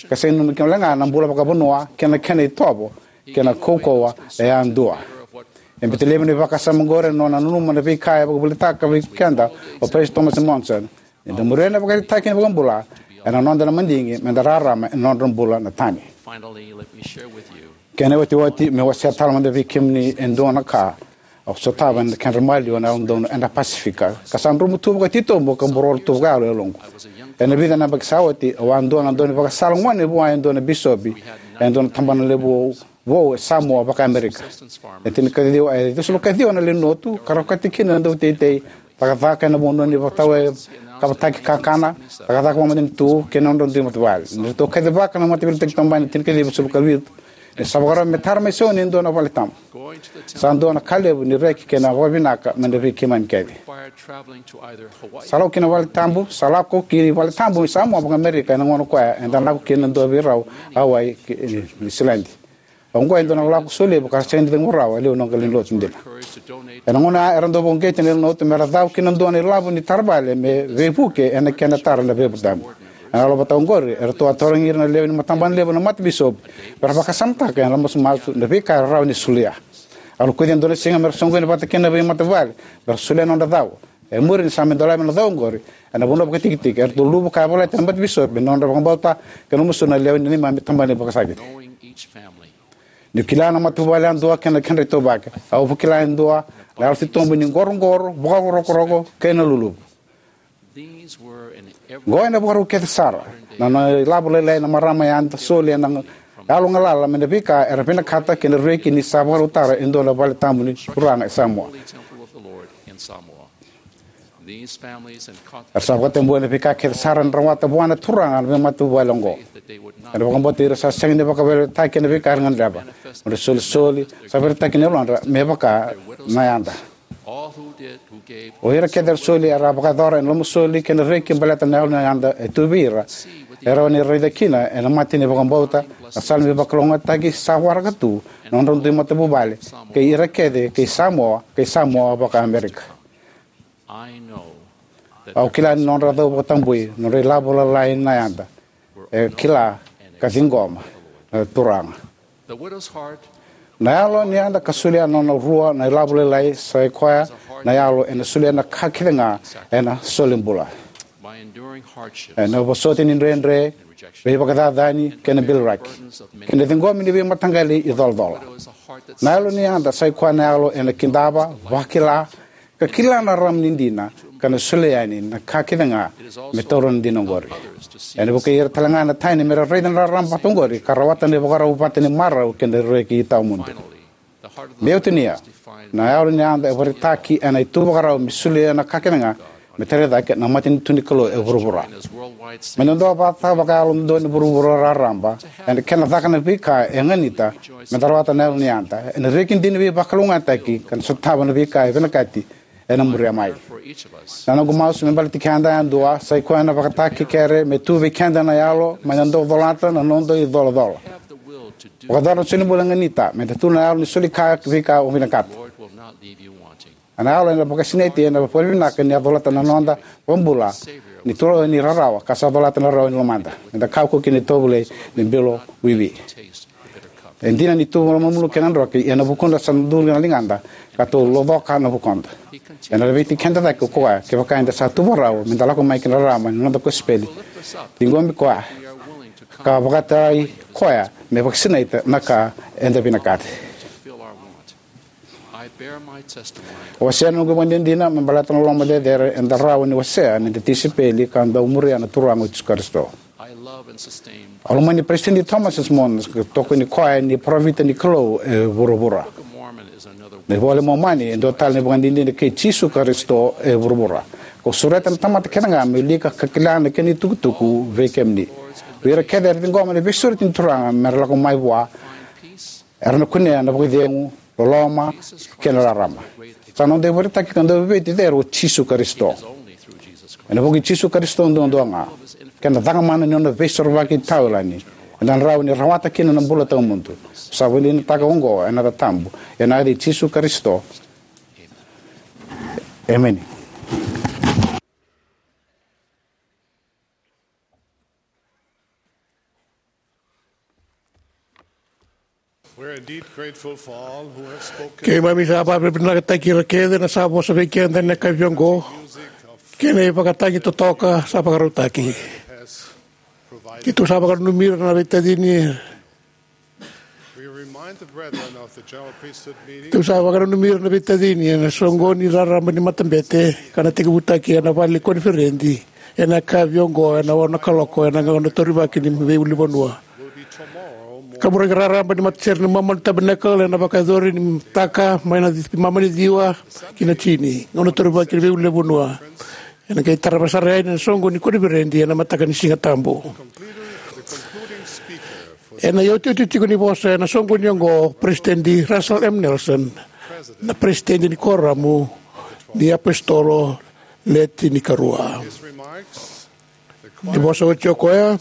ka sega ni nanuma kina wale ga na bula vakavanua kei na kena itovo kei na kaukauwa e yadua. E bete levu na vakasama oqori ena nona nanuma na veika e vakavuvulitaka vei keda o Peresitedi Thomas Monson. Ni da muria na ivakaraitaki ni iVakabula, ena noda na madigi me da rarama ena nodra bula na tani. Kena iotioti, meu wasea tale mada vei kemuni e dua na ka au sotava ena kedra maliwa na Yalododonu ena Pasifika, ka sa drumu tu vakatitobu ka buroro tu vakayalo e yaloqu. Ena vica na yabaki sa oti, au a dua na daunivakasala gone vua e dua na bisopi e dua na tabana levu vou e Samoa vaka-Amerika. E tinikaciwa, e ciwasagavulu kaciwa na lewe ni lotu, ka ra okati kina na dauteitei, cakacaka ena vanua ni vakatawa, e kavataki kakana, cakacaka vakamatanitu kei na nodra dui matavuvale. Ni ratou kacivaka na Mataveiliutaki Taumada ena tinikaciwa ciwasagavulu kavitu, ni sa vakarau me tara mai Sioni e dua na vale tabu. Sa dua na ka levu ni reki kei na vakavinaka mai vei keimami kece. Sa lako ki na vale tabu, sa lako ki vale tabu i Samoa vaka-Amerika ena gauna koya eda lako kina dua vei rau, Hawaii kei Niu Siladi. Oqo e dua na lako solevu ka sega ni cegu rawa e liu na lewe ni lotu dina. Ena gauna ya era dau vakauqeti na lewe ni lotu me ra cau ki na dua na ilavo ni tara vale me veivuke ena kena tara na veivuke tabu. Ena yalo vata oqori, eratou a tarogi ira na lewe ni matabana levu na matabisopi me ra vakasamataka ena masumasu na veika era rawa ni solia. A lokuci e dua na siga me ra soqoni vata kina na veimatavuvale me ra solia na nodra cau. E muri ni sa mai dolavi na cau oqori ena vanua vakatikitiki, eratou luvu ka yavalati na matabisopi ena nodra vakabauta kei na masu na lewe ni neimami tabana ni vakasakiti. Niu kila na matavuvale yadua kei na kedra itauvaki, au vakila e dua na yalo titobu ni qoroqoro, vakarokoroko kei na luluvu. Oqo ena vakarau kece sara na nona ilavo lailai na marama yada soli ena yalo galala mai na veika era vinakata kei na reki ni sa vakarautaka e dua na vale tabu ni Turaga e Samoa. Era sa vakatabuya na veika kece sara era rawata vua na Turaga na veimatavuvale oqo. Era vakabauta ni ra sa sega ni vakaveiliutaki ena veika era gadreva. Nodra isolisoli sa vakaraitaki na yalodra me vaka na yada. O ira kece era soli era a vakayacora ena lomasoli kei na reki baleta na yalo ni yada e tu vei ira. E rawa ni ra raica kina ena mata ni vakabauta na sala ni veivakalougatataki sa waraka tu na nodra dui matavuvale kei ira kece kei Samoa, kei Samoa vaka-Amerika. Au kila ni nodra cau vakatabui, nodra ilavo lailai na yada, e kila ka ciqoma na Turaga. Na yalo ni yada ka solia na nona rua na ilavo lailai sa i koya na yalo ena solia na ka kece ga ena solibula. Ena vosoti ni dredre, veivakacacani kei na biliraki, kei na ciqomi ni veimataqali icolacola. Na yalo ni yada sa i koya na yalo ena kidava, vakila, ka kila na rarama ni dina ka na solia yani na ka kece ga me taura na dina oqori. Ena vukei ira tale ga na tani me ra raica na rarama vata oqori ka rawata na ivakarau vata ni marau kei na reki tawamudu. Meu tinia, na yalo ni yada e vakaraitaki ena ituvakarau me solia na ka kece ga me tarai cake na matanitu ni Kalou e vuravura. Me dodonu vata vakayalo dodonu e vuravura raraba ena kena caka na veika e ganita me da rawata na yalo ni yada ena reki dina veivakalougatataki ka na sotava na veika e vinakati ena muria mai. Na noqu masu me baleti keda yadua sa i koya na vakatakekere me tu vei keda na yalo me da dau colata na noda icolacola. Vakayacora na solibula e ganita me da tu na yalo ni soli ka veika o vinakata. Na yalo ena vakasinaiti ena vakavinavinaka ni a colata na noda vakabula ni tu rawa ni rarawa ka sa colata na rawa ni lomada. Me da kaukaua kina itovolei ni bilo wiwi. E dina ni tu malumalumu kei na droki, ia na vukuda sa duri na ligada ka tou locoka na vukuda. Ena laveti keda cake o koya kevaka eda sa tuvakarau me da lako mai ki na rarama ni noda kosipeli. Ciqomi koya ka vakataki koya me vakasinaita na ka eda vinakata. Au wasea na noqu ivakadinadina me baleta na loloma cecere eda rawa ni wasea ni da tisaipeli ka dau muria na Turaga o Jisu Karisito. Au lomani Peresitedi Thomas S. Monson ka tokoni koya ni parofita ni Kalou e vuravura. Na iVola i Momani e dua tale na ivakadinadina kei Jisu Karisito e vuravura. Kau sureta na tamata kece ga me wilika ka kila na kena itukutuku vei kemuni. O ira kece era ciqoma na veisureti ni Turaga me ra lako mai vua, era na kunea na vakacegu, loloma kei na rarama. Sa noda ivakaraitaki ka dau veivueti cecere o Jisu Karisito. Ena vuku i Jisu Karisito duadua ga. Keda cakamana ni nona veisorovaki taulani, eda na rawa ni rawata kina na bula tawamudu. Sa vakadeitaka oqo ena yaca tabu, ena yaca i Jisu Karisito. Emeni. We're indeed grateful for all who have spoken. Keimami sa vakavinavinakataki ira kece na sa vosa vei keda ena yakavi oqo, kei na ivakatagi totoka sa vakarautaki. Keitou sa vakananumi ira na veitacini. We remind the brethren of the general priesthood meeting. Keitou sa vakananumi ira na veitacini ena soqoni raraba ni matabete ka na tekivutaki ena vale ni koniferedi ena yakavi oqo ena ono na kaloko ena gauna taurivaki ni veiulunivanua. Ka muraki raraba ni matasere ni Mormon Tabernacle ena vakayacori ni mataka mai na mama ni ciwa ki na tini, gauna taurivaki ni veiulunivanua. Ena qai tarava sara yani na soqoni ni koniferedi ena mataka ni Siga Tabu. Ena iotioti tiko ni vosa ena soqoni oqo, President Russell M Nelson, na President ni Koramu ni iApositolo Le Tinikarua. Ni vosa oti o koya,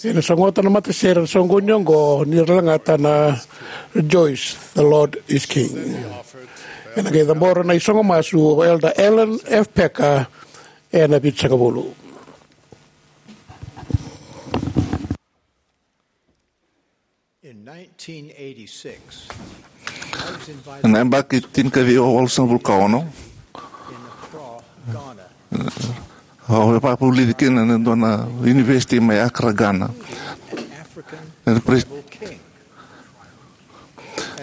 ena sogota na matasere na soqoni oqo ni ra lagata na Rejoice, the Lord is King. Ena qai cabora na isogo masu o Elder Allen F Packer ena Vitusagavulu. In nineteen eighty-six, I was invited. Ena yabaki tinikaciwa walusagavulu ka ono, in Accra, Ghana, au a vakavulici kina ena dua na university mai Accra, Ghana. An African tribal king.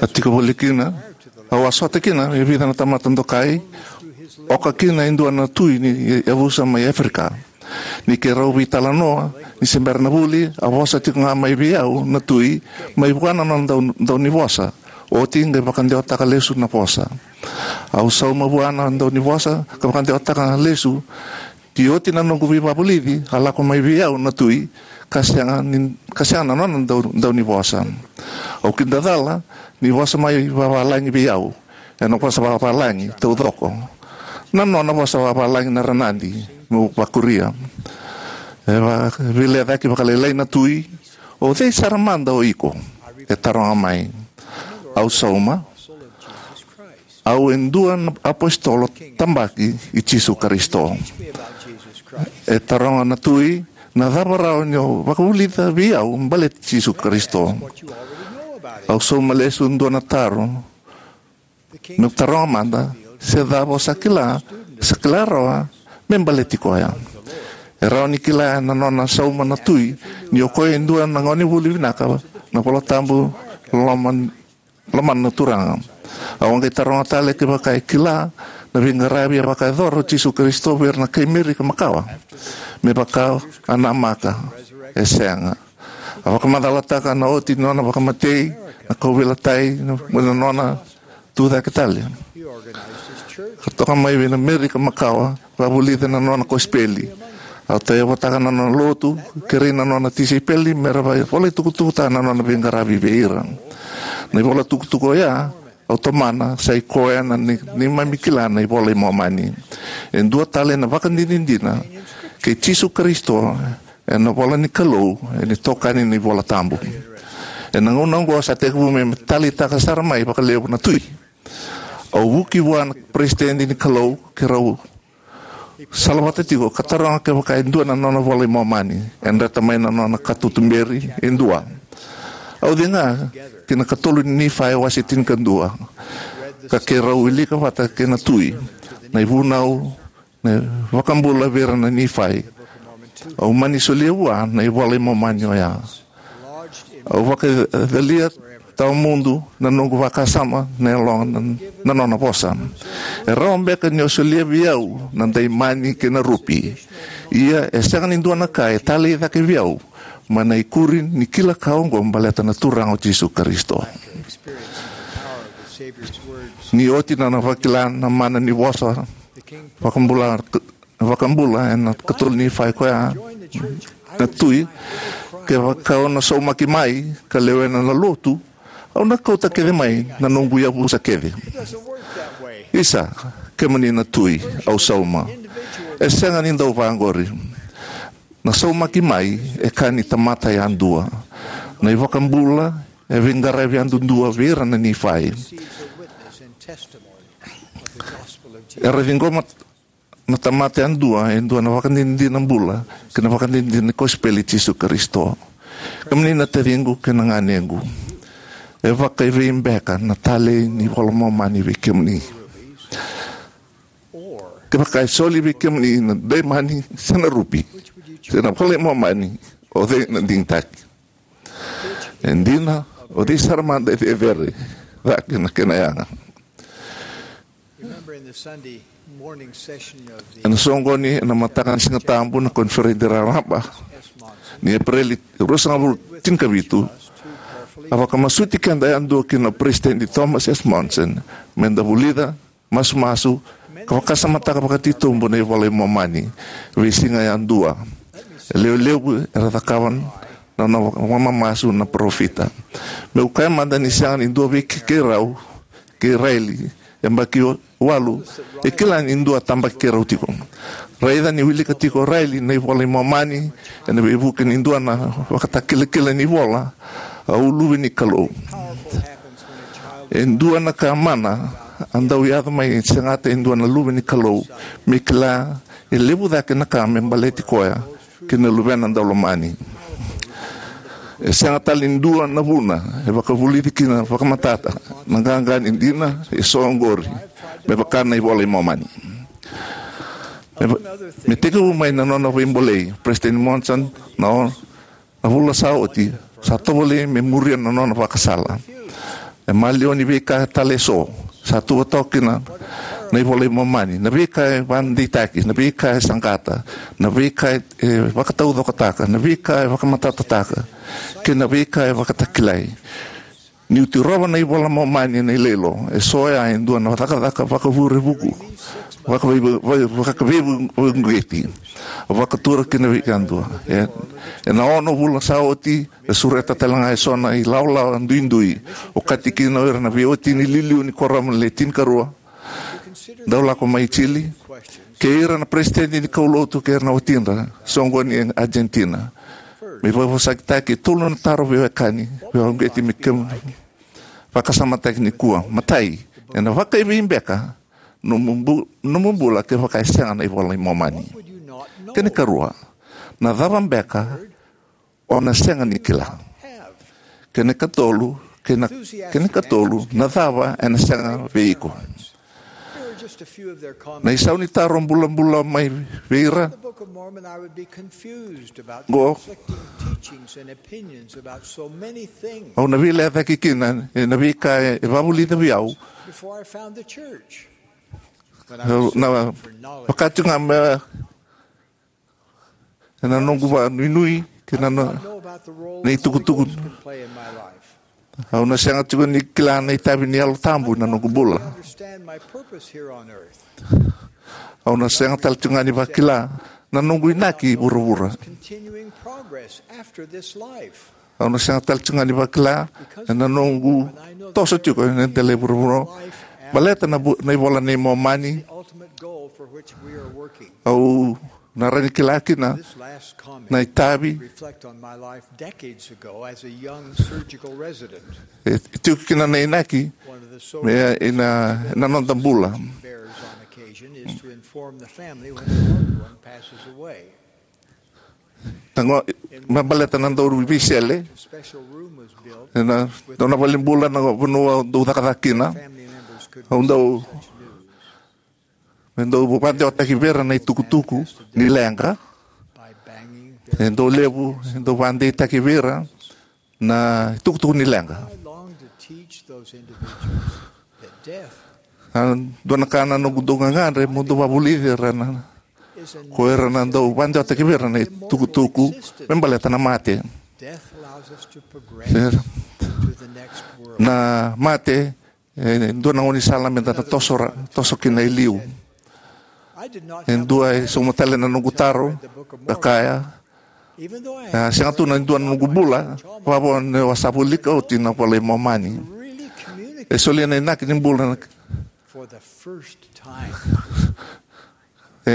A tiko voli kina, au a sota kina e vica na tamata dokai, oka kina e dua na tui ni yavusa mai Africa. Ni keirau veitalanoa, ni se bera na vuli, a vosa tiko ga mai vei au na tui, mai vua na nona dau, daunivosa. Oti qai vakadewataka lesu na vosa. Au sauma vua na daunivosa, ka vakadewataka lesu, ni oti na noqu veivakavulici, a lako mai vei au na tui, ka sega ni, ka sega na nona dau, daunivosa. Au kidacala, ni vosa mai vavalagi vei au. Ena vosa vavalagi taucoko. Na nona vosa vavalagi na ranadi, meu vakuria. E va, veilecayaki vakalailai na tui, "O cei sara mada o iko?" E taroga mai. Au sauma, "Au e dua na apositolo tabaki i Jisu Karisito." E taroga na tui, "Na cava rawa ni o vakavulica vei au baleti Jisu Karisito?" Au sauma lesu dua na taro, meu taroga mada, "Se cava o sa kila, sa kila rawa me baleti koya?" E rawa ni kila ena nona sauma na tui, ni o koya e dua na gonevuli vinaka, na iVola Tabu, loma, lomana na Turaga. Au a qai taroga tale kevaka e kila na veiqaravi e vakayacora o Jisu Karisito vei ira na kai Merika makawa. Me vaka a namaka, e sega. A vakamacalataka na oti ni nona vakamatei, na kauveilatai, na, na nona tucake tale. Ka toka mai vei na Merika makawa, vakavulica na nona kosipeli. A tauyavutaka na nona lotu, kerei na nona tisaipeli, me ra vakavolatukutukutaka na nona veiqaravi vei ira. Na ivolatukutuku oya, au tomana, sa i koya na nei, neimami kila na iVola i Momani. E dua tale na vakadinadina kei Jisu Karisito, ena ivola ni Kalou, ena itokani ni iVola Tabu. Ena gauna oqo sa tekivu me taleitaka sara mai vakalevu na tui. Au vuki vua na peresitedi ni Kalou, keirau salavata tiko ka taroga kevaka e dua na nona iVola i Momani, e dreta mai na nona katutuberi e dua. Au ciqoma ki na ikatolu ni Nifai wase tinikadua, ka keirau wilika vata kei na tui, na ivunau, na iVakabula vei ira na Nifai. Au mani solia vua na iVola i Momani oya. Au vakacalia tawamudu na noqu vakasama na yaloga na, na nona vosa. E rawa beka ni o solia vei au na daimani kei na rupi. Ia e sega ni dua na ka e talei cake vei au mai na ikuri ni kila ka oqo baleta na Turaga o Jisu Karisito. Ni oti na nona vakila na mana ni vosa vakabula, vakabula ena ikatolu ni Nifai koya na tui, kevaka au na saumaki mai ka lewena na lotu, au na kauta kece mai na noqu yavusa kece. Isa, kemuni na tui, au sauma. E sega ni dau vaqori. Na saumaki mai e ka ni tamata yadua. Na iVakabula e veiqaravi yadudua vei ira na Nifai. Era ciqoma na tamata yadua e dua na vakadinadina bula kei na vakadinadina ni kosipeli i Jisu Karisito. Kemuni na taciqu kei na ganequ, e vakaevei beka na talei ni iVola i Momani vei kemuni? Kevaka e soli vei kemuni na daimani se na rupi se na iVola i Momani, o cei na digitaki? E dina, o cei sara mada e cecere cake na kena yaga? Remember in the Sunday morning session of the Ena soqoni ena mataka ni Siga Tabu na koniferedi raraba ni Epereli ruasagavulu tinikavitu, a vakamasuti keda yadua kina o Peresitedi Thomas S. Monson me da vulica, masumasu, ka vakasamataka vakatitobu na iVola i Momani vei siga yadua. E lewe levu era cakava na nona vakamamasu na parofita. Meu kaya mada ni sega ni dua vei keirau, kei Raeli, yabaki walu, e kila ni dua tabaki keirau tiko. Raica ni wilika tiko o Raeli na iVola i Momani ena veivuke ni dua na ivakatakilakila ni ivola, au luve ni Kalou. E dua na ka mana a dau yaco mai, e segata e dua na luve ni Kalou me kila e levu cake na ka me baleti koya kei na luvena daulomani. E sega tale ni dua na vuna e vakavulici kina vakamatata na qaqa ni dina eso oqori me vaka na iVola i Momani. Me, me tekivu mai na nona veibolei o Peresitedi Monson na o, na vula sa oti, sa tovolei me muria na nona vakasala. E maliwa ni veika tale eso sa tuva toka kina na iVola i Momani, na veika e vakadeitaki, na veika e saqata, na veika e, e vakataucokotaka, na veika e vakamatatataka, kei na veika e vakatakilai. Niu tirova na iVola i Momani ena iloilo, eso oya e dua na cakacaka vakavurevuku, vakavei-, va-, vakaveiveivueti, vakatura kina vei yadua. E, ena ono vula sa oti, e sureta tale ga eso na ilawalawa duidui, okati kina o ira na veiwatini iliuliu ni Kuoramu le Tinikarua dau lako mai Chile, kei ira na peresitedi ni kaulotu kei ira na watidra soqoni e Argentina. Me vakavosakitaki e tolu na taro veiwekani, veiwekani me kemu vakasamataki nikua. Matai, ena vakaevei beka nomu bu-, nomu bula kevaka e sega na iVola i Momani? Kena ikarua, na cava beka o na sega ni kila? Kena ikatolu, kena, kena ikatolu, na cava ena sega vei iko? Na isau ni taro bulabula mai vei ira qo, au na veilecayaki kina ena veika e, e vakavulica vei au. Au na vaka tiko ga me ena noqu vakanuinui kei na, na itukutuku. Au na sega tiko ni kila na itavi ni Yalo Tabu ena noqu bula. Au na sega tale tiko ga ni vakila na noqu inaki vuravura. Au na sega tale tiko ga ni vakila ena noqu toso tiko ena dela i vuravura. Baleta na bu-, na iVola i Momani, au na rawa ni kila kina na itavi. E, e tiko kina na inaki me, ena, ena noda bula. Na qo, me baleta na dau veisele ena dua na valenibula na vanua au dau cakacaka kina. Au dau, me dau vakadewataki vei ira na itukutuku ni leqa. E dau levu e dau vakadeitaki vei ira na itukutuku ni leqa. A dua na ka na noqu dau gagadre mo dau vakavulici ira na, ko ira na dau vakadewataki vei ira na itukutuku me baleta na mate. Na mate e dua na gaunisala meda na toso ra-, toso kina e liu. E dua e sauma tale na noqu taro, ka kaya, a, sega tu na dua na noqu bula vakavo ni au a sa volika oti na iVola i Momani. E solia na inaki ni bula na, e,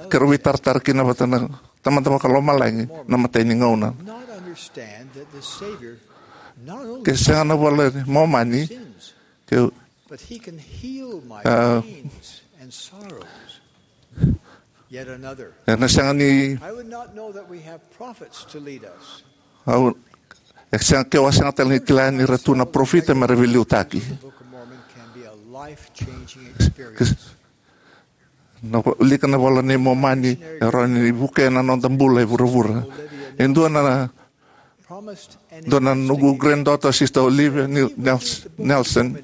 keirau veitaratara kina vata na Tamada Vakalomalagi na imatai ni gauna. Ke sega na iVola i Momani, ke ena sega ni, au, e sega, keu a sega tale ni kila ni ra tu na parofita me ra veiliutaki. Na wilika na iVola i Momani e rawa ni vukea na noda bula e vuravura. E dua na, dua na noqu granddaughter, Sister Olivia Nel-, Nels-, Nelson,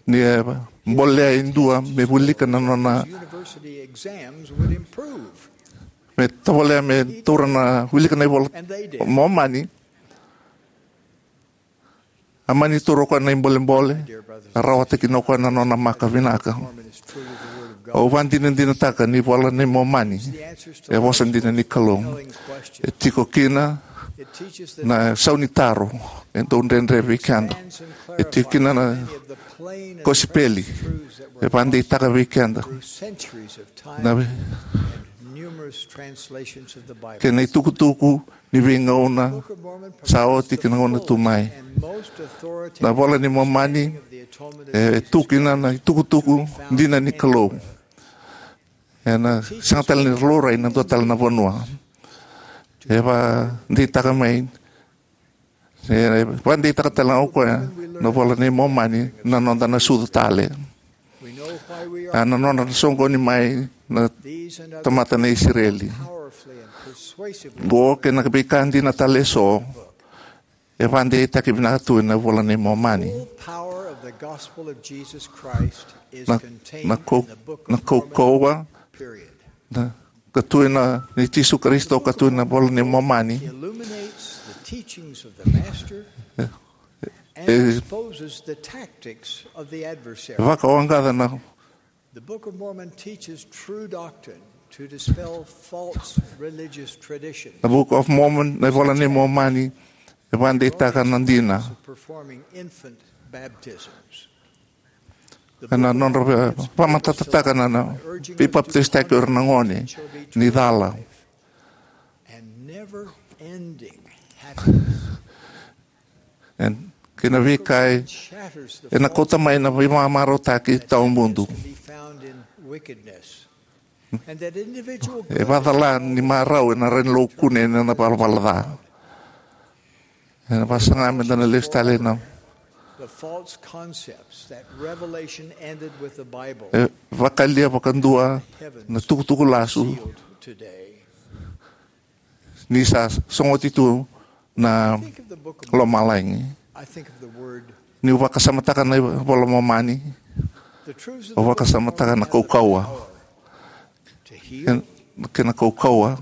ni e bolea e dua me wilika na nona, me tovolea me taura na, wilika na iVola i Momani. A mani taura o koya na ibolebole, a rawata kina o koya na nona maka vinaka. Au vakadinadinataka ni iVola i Momani e vosa dina ni Kalou. E tiko kina na sau ni taro e dau dredre vei keda. E tiko kina na kosipeli e vakadeitaka vei keda na, kei na itukutuku ni veigauna sa oti kei na gauna tu mai. Na iVola i Momani e tu kina na itukutuku dina ni Kalou. Ena sega tale ni laurai ena dua tale na vanua. E vakadeitaka mai, e vakadeitaka tale ga o koya na iVola i Momani na noda na sucu tale. A na nodra na soqoni mai na tamata na Isireli. Qo kei na veika dina tale eso e vakadeitaki vinaka tu ena iVola i Momani. Na, na kau-, na kaukauwa na, ka tu ena, ni Jisu Karisito ka tu ena iVola i Momani. E, e vakawaqaca na The Book of Mormon teaches true doctrine to dispel false religious tradition. Na Book of Mormon, na iVola i Momani, e vakadeitaka na dina. Performing infant baptisms. Ena nodra ve-, vakamatatataka na, na veipapitaisotaki o ira na gone ni cala. And never-ending happiness. Kei na veika e, ena kauta mai na veivakamarautaki tawamudu. E vakacala ni marau ena rai ni laukune ena valavala ca. Ena vakasaga meda na lesu tale na, e vakalia vakadua na tukutuku lasu. Ni sa sogoti tu na lomalagi. Niu vakasamataka na iVola i Momani, au vakasamataka na kaukauwa. Kei na kaukauwa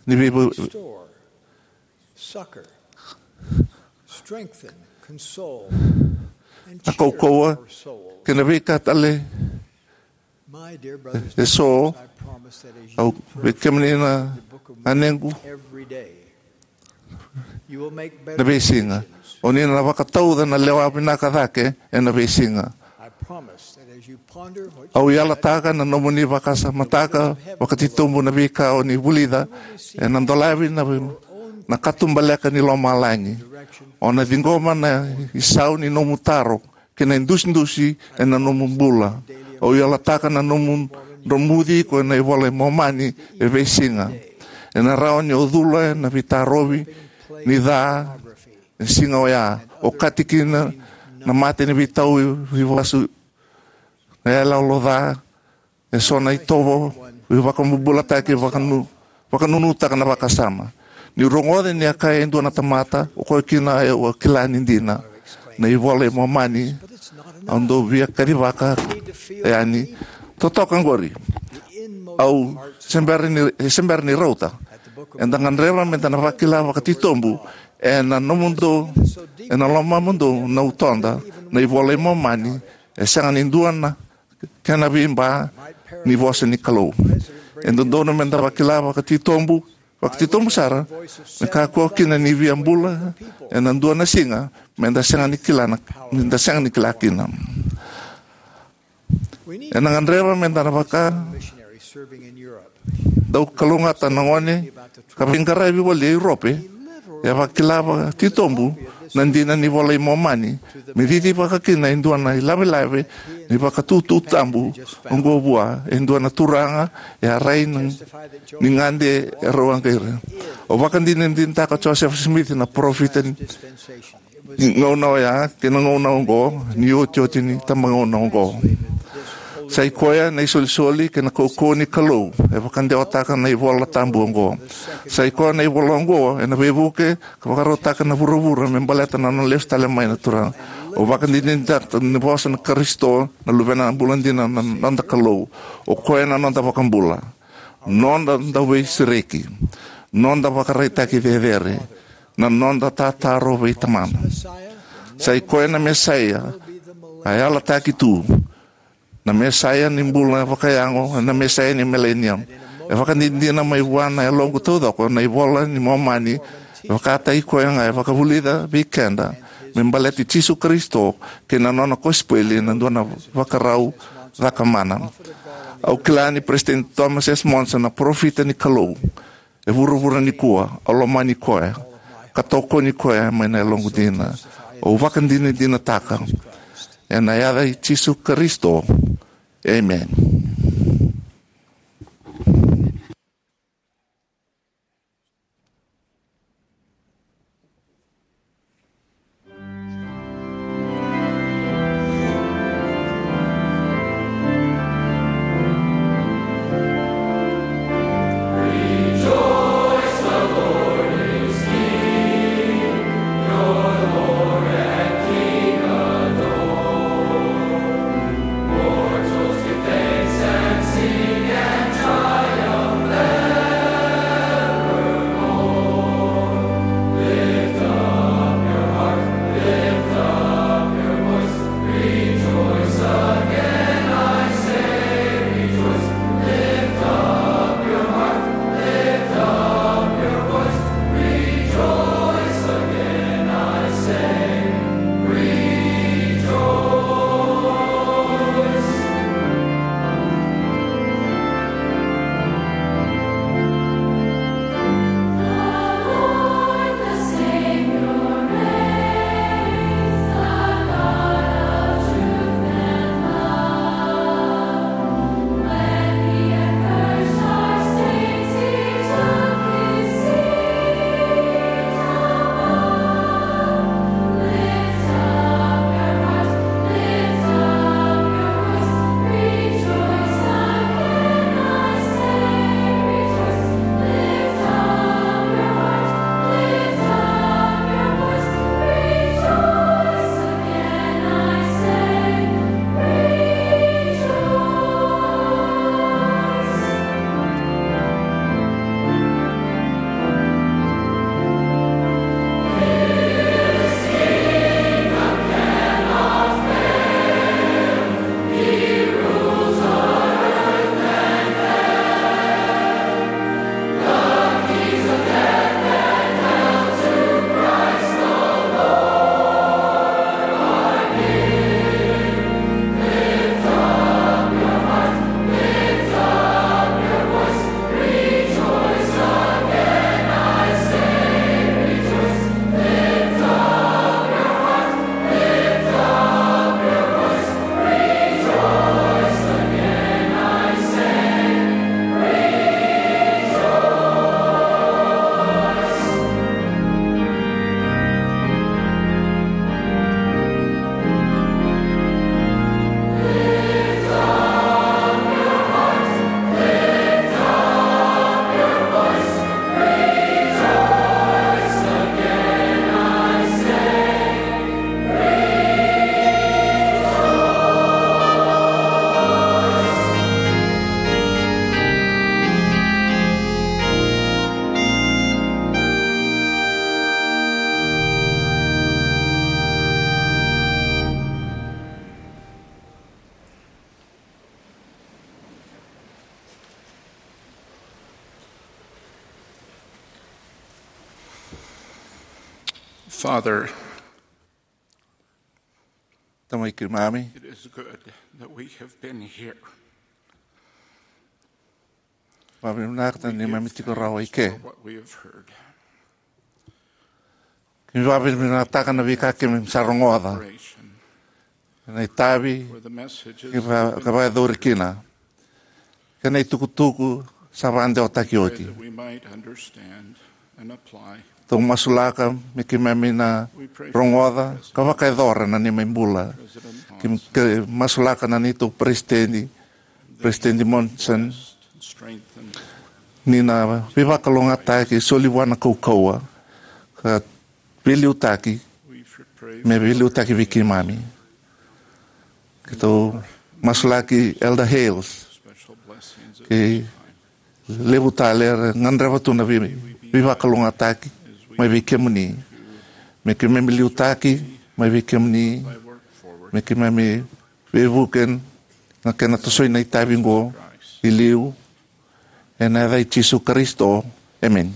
ni vei, na kaukauwa kei na veika tale eso. Au vei kemuni na ganequ, na veisiga o ni na vakatauca na lewa vinaka cake ena veisiga. Au yalataka na nomuni vakasamataka vakatitobu na veika o ni vulica, ena dolavi na, na katubaleka ni lomalagi. O na ciqoma na isau ni nomu taro kei na idusidusi ena nomu bula. Au yalataka na nomu dromuci iko ena iVola i Momani e veisiga. Ena rawa ni o cula ena veitarovi ni ca ena siga oya, okati kina na mata ni veitau i vasu, na yaloyalo ca, eso na itovo veivakabobulataki, vakanu-, vakanunutaka na vakasama. Niu rogoca ni a kaya e dua na tamata, o koya kina au a kila ni dina na iVola i Momani. Au dau via kacivaka yani, totoka qori. Au se bera ni, se bera ni rauta. Eda gadreva meda na vakila vakatitobu ena nomudou, ena lomamudou na utoda na iVola i Momani. E sega ni dua na kena veiba ni vosa ni Kalou. E dodonu meda vakila vakatitobu, vakatitobu sara, me kakua kina ni via bula ena dua na siga meda sega ni kila na, meda sega ni kila kina. Ena gadreva meda na vaka, dau kalougata na gone ka veiqaravi voli e Iurope, e a vakila vakatitobu na dina ni iVola i Momani me cici vakakina e dua na ilavelave ni vakatutu tabu oqo vua e dua na turaga e a rai na, ni gade e rau a qai ira. Au vakadinadinataka o Joseph Smith na parofita ni gauna oya kei na gauna oqo, ni otioti ni tabagauna oqo. Sa i koya na isolisoli kei na kaukauwa ni Kalou e vakadewataka na iVola Tabu oqo. Sa i koya na ivola oqo ena veivuke ka vakarautaka na vuravura me baleta na nona lesu tale mai na Turaga. Au vakadinadinataka na vosa na Karisito, na Luvena bula dina, na noda Kalou. O koya na noda vakabula, noda dauveisereki, noda vakaraitaki cecere, na noda tataro vei Tamana. Sa i koya na Mesaia a yalataki tu, na Mesaia ni bula vakayago, na Mesaia ni milenium. E vakadinadina mai vua na yaloqu taucoko na iVola ni Momani. E vakataki koya ga e vakavulica vei keda me baleti Jisu Karisito kei na nona kosipeli na dua na vakarau cakamana. Au kila ni President Thomas S. Monson na parofita ni Kalou e vuravura nikua. Au lomani koya ka tokoni koya mai na yaloqu dina. Au vakadinadinataka ena yaca i Jisu Karisito. Amen. Father, Tamai keimami, it is good that we have been here. Vakavinavinaka ni keimami tiko rawa i ke. What we have heard. Keimami vakavinavinakataka na veika keimami sa rogoca. Operation. Kei na itavi, for the messages, kei va-, ka vakayacori kina. Kei na itukutuku sa vakadewataki oti. That we might understand and apply. Tou masulaka me keimami na rogoca ka vakayacora na neimami bula. President Monson. Ke, ke masulaka na neitou peresitedi, President Monson, ni na veivakalougatataki, soli vua na kaukauwa, ka veiliutaki, me veiliutaki vei keimami. Keitou masulaki Elder Hales, kei levu tale era gadreva tu na vei-, veivakalougatataki mai vei kemuni. Me keimami liutaki mai vei kemuni, me keimami veivuke na kena tosoi na itavi oqo i liu, ena yaca i Jisu Karisito. Emeni.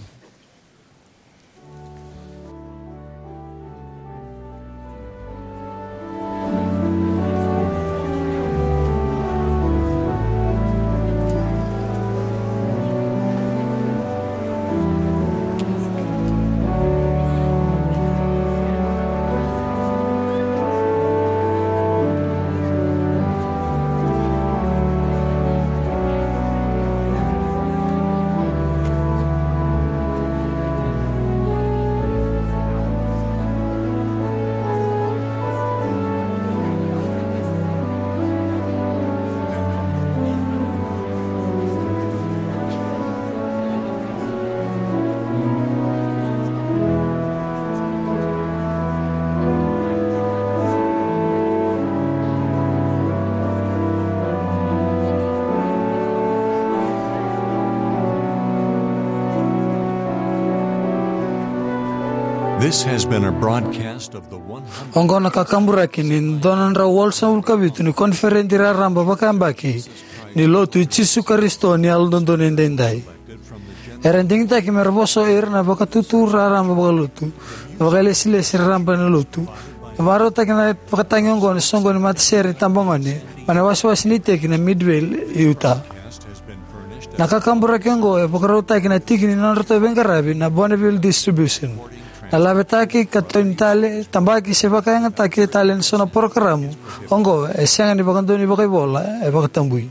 This has been a broadcast of the one hundred. Oqo na kakaburaki ni dua na drau walusagavulu ka vitu ni koniferedi raraba vakayabaki ni Lotu i Jisu Karisito ni Yalododonu Edaidai. Era digitaki me ra vosa o ira na vakatutu raraba vakalotu, na vakailesilesi raraba ena lotu. E vakarautaki na vakatagi oqo ena soqoni ni matasere ni tabagone mai na wasewase ni iteki na Midvale e Utah. Na kakaburaki oqo e vakarautaki na tiki ni nodratou veiqaravi na Bonneville Distribution. Na lavetaki ka tau ni tale, tabaki se vakayagataki tale ena so na porokaramu oqo e sega ni vakadonui vakaivola, e vakatabui.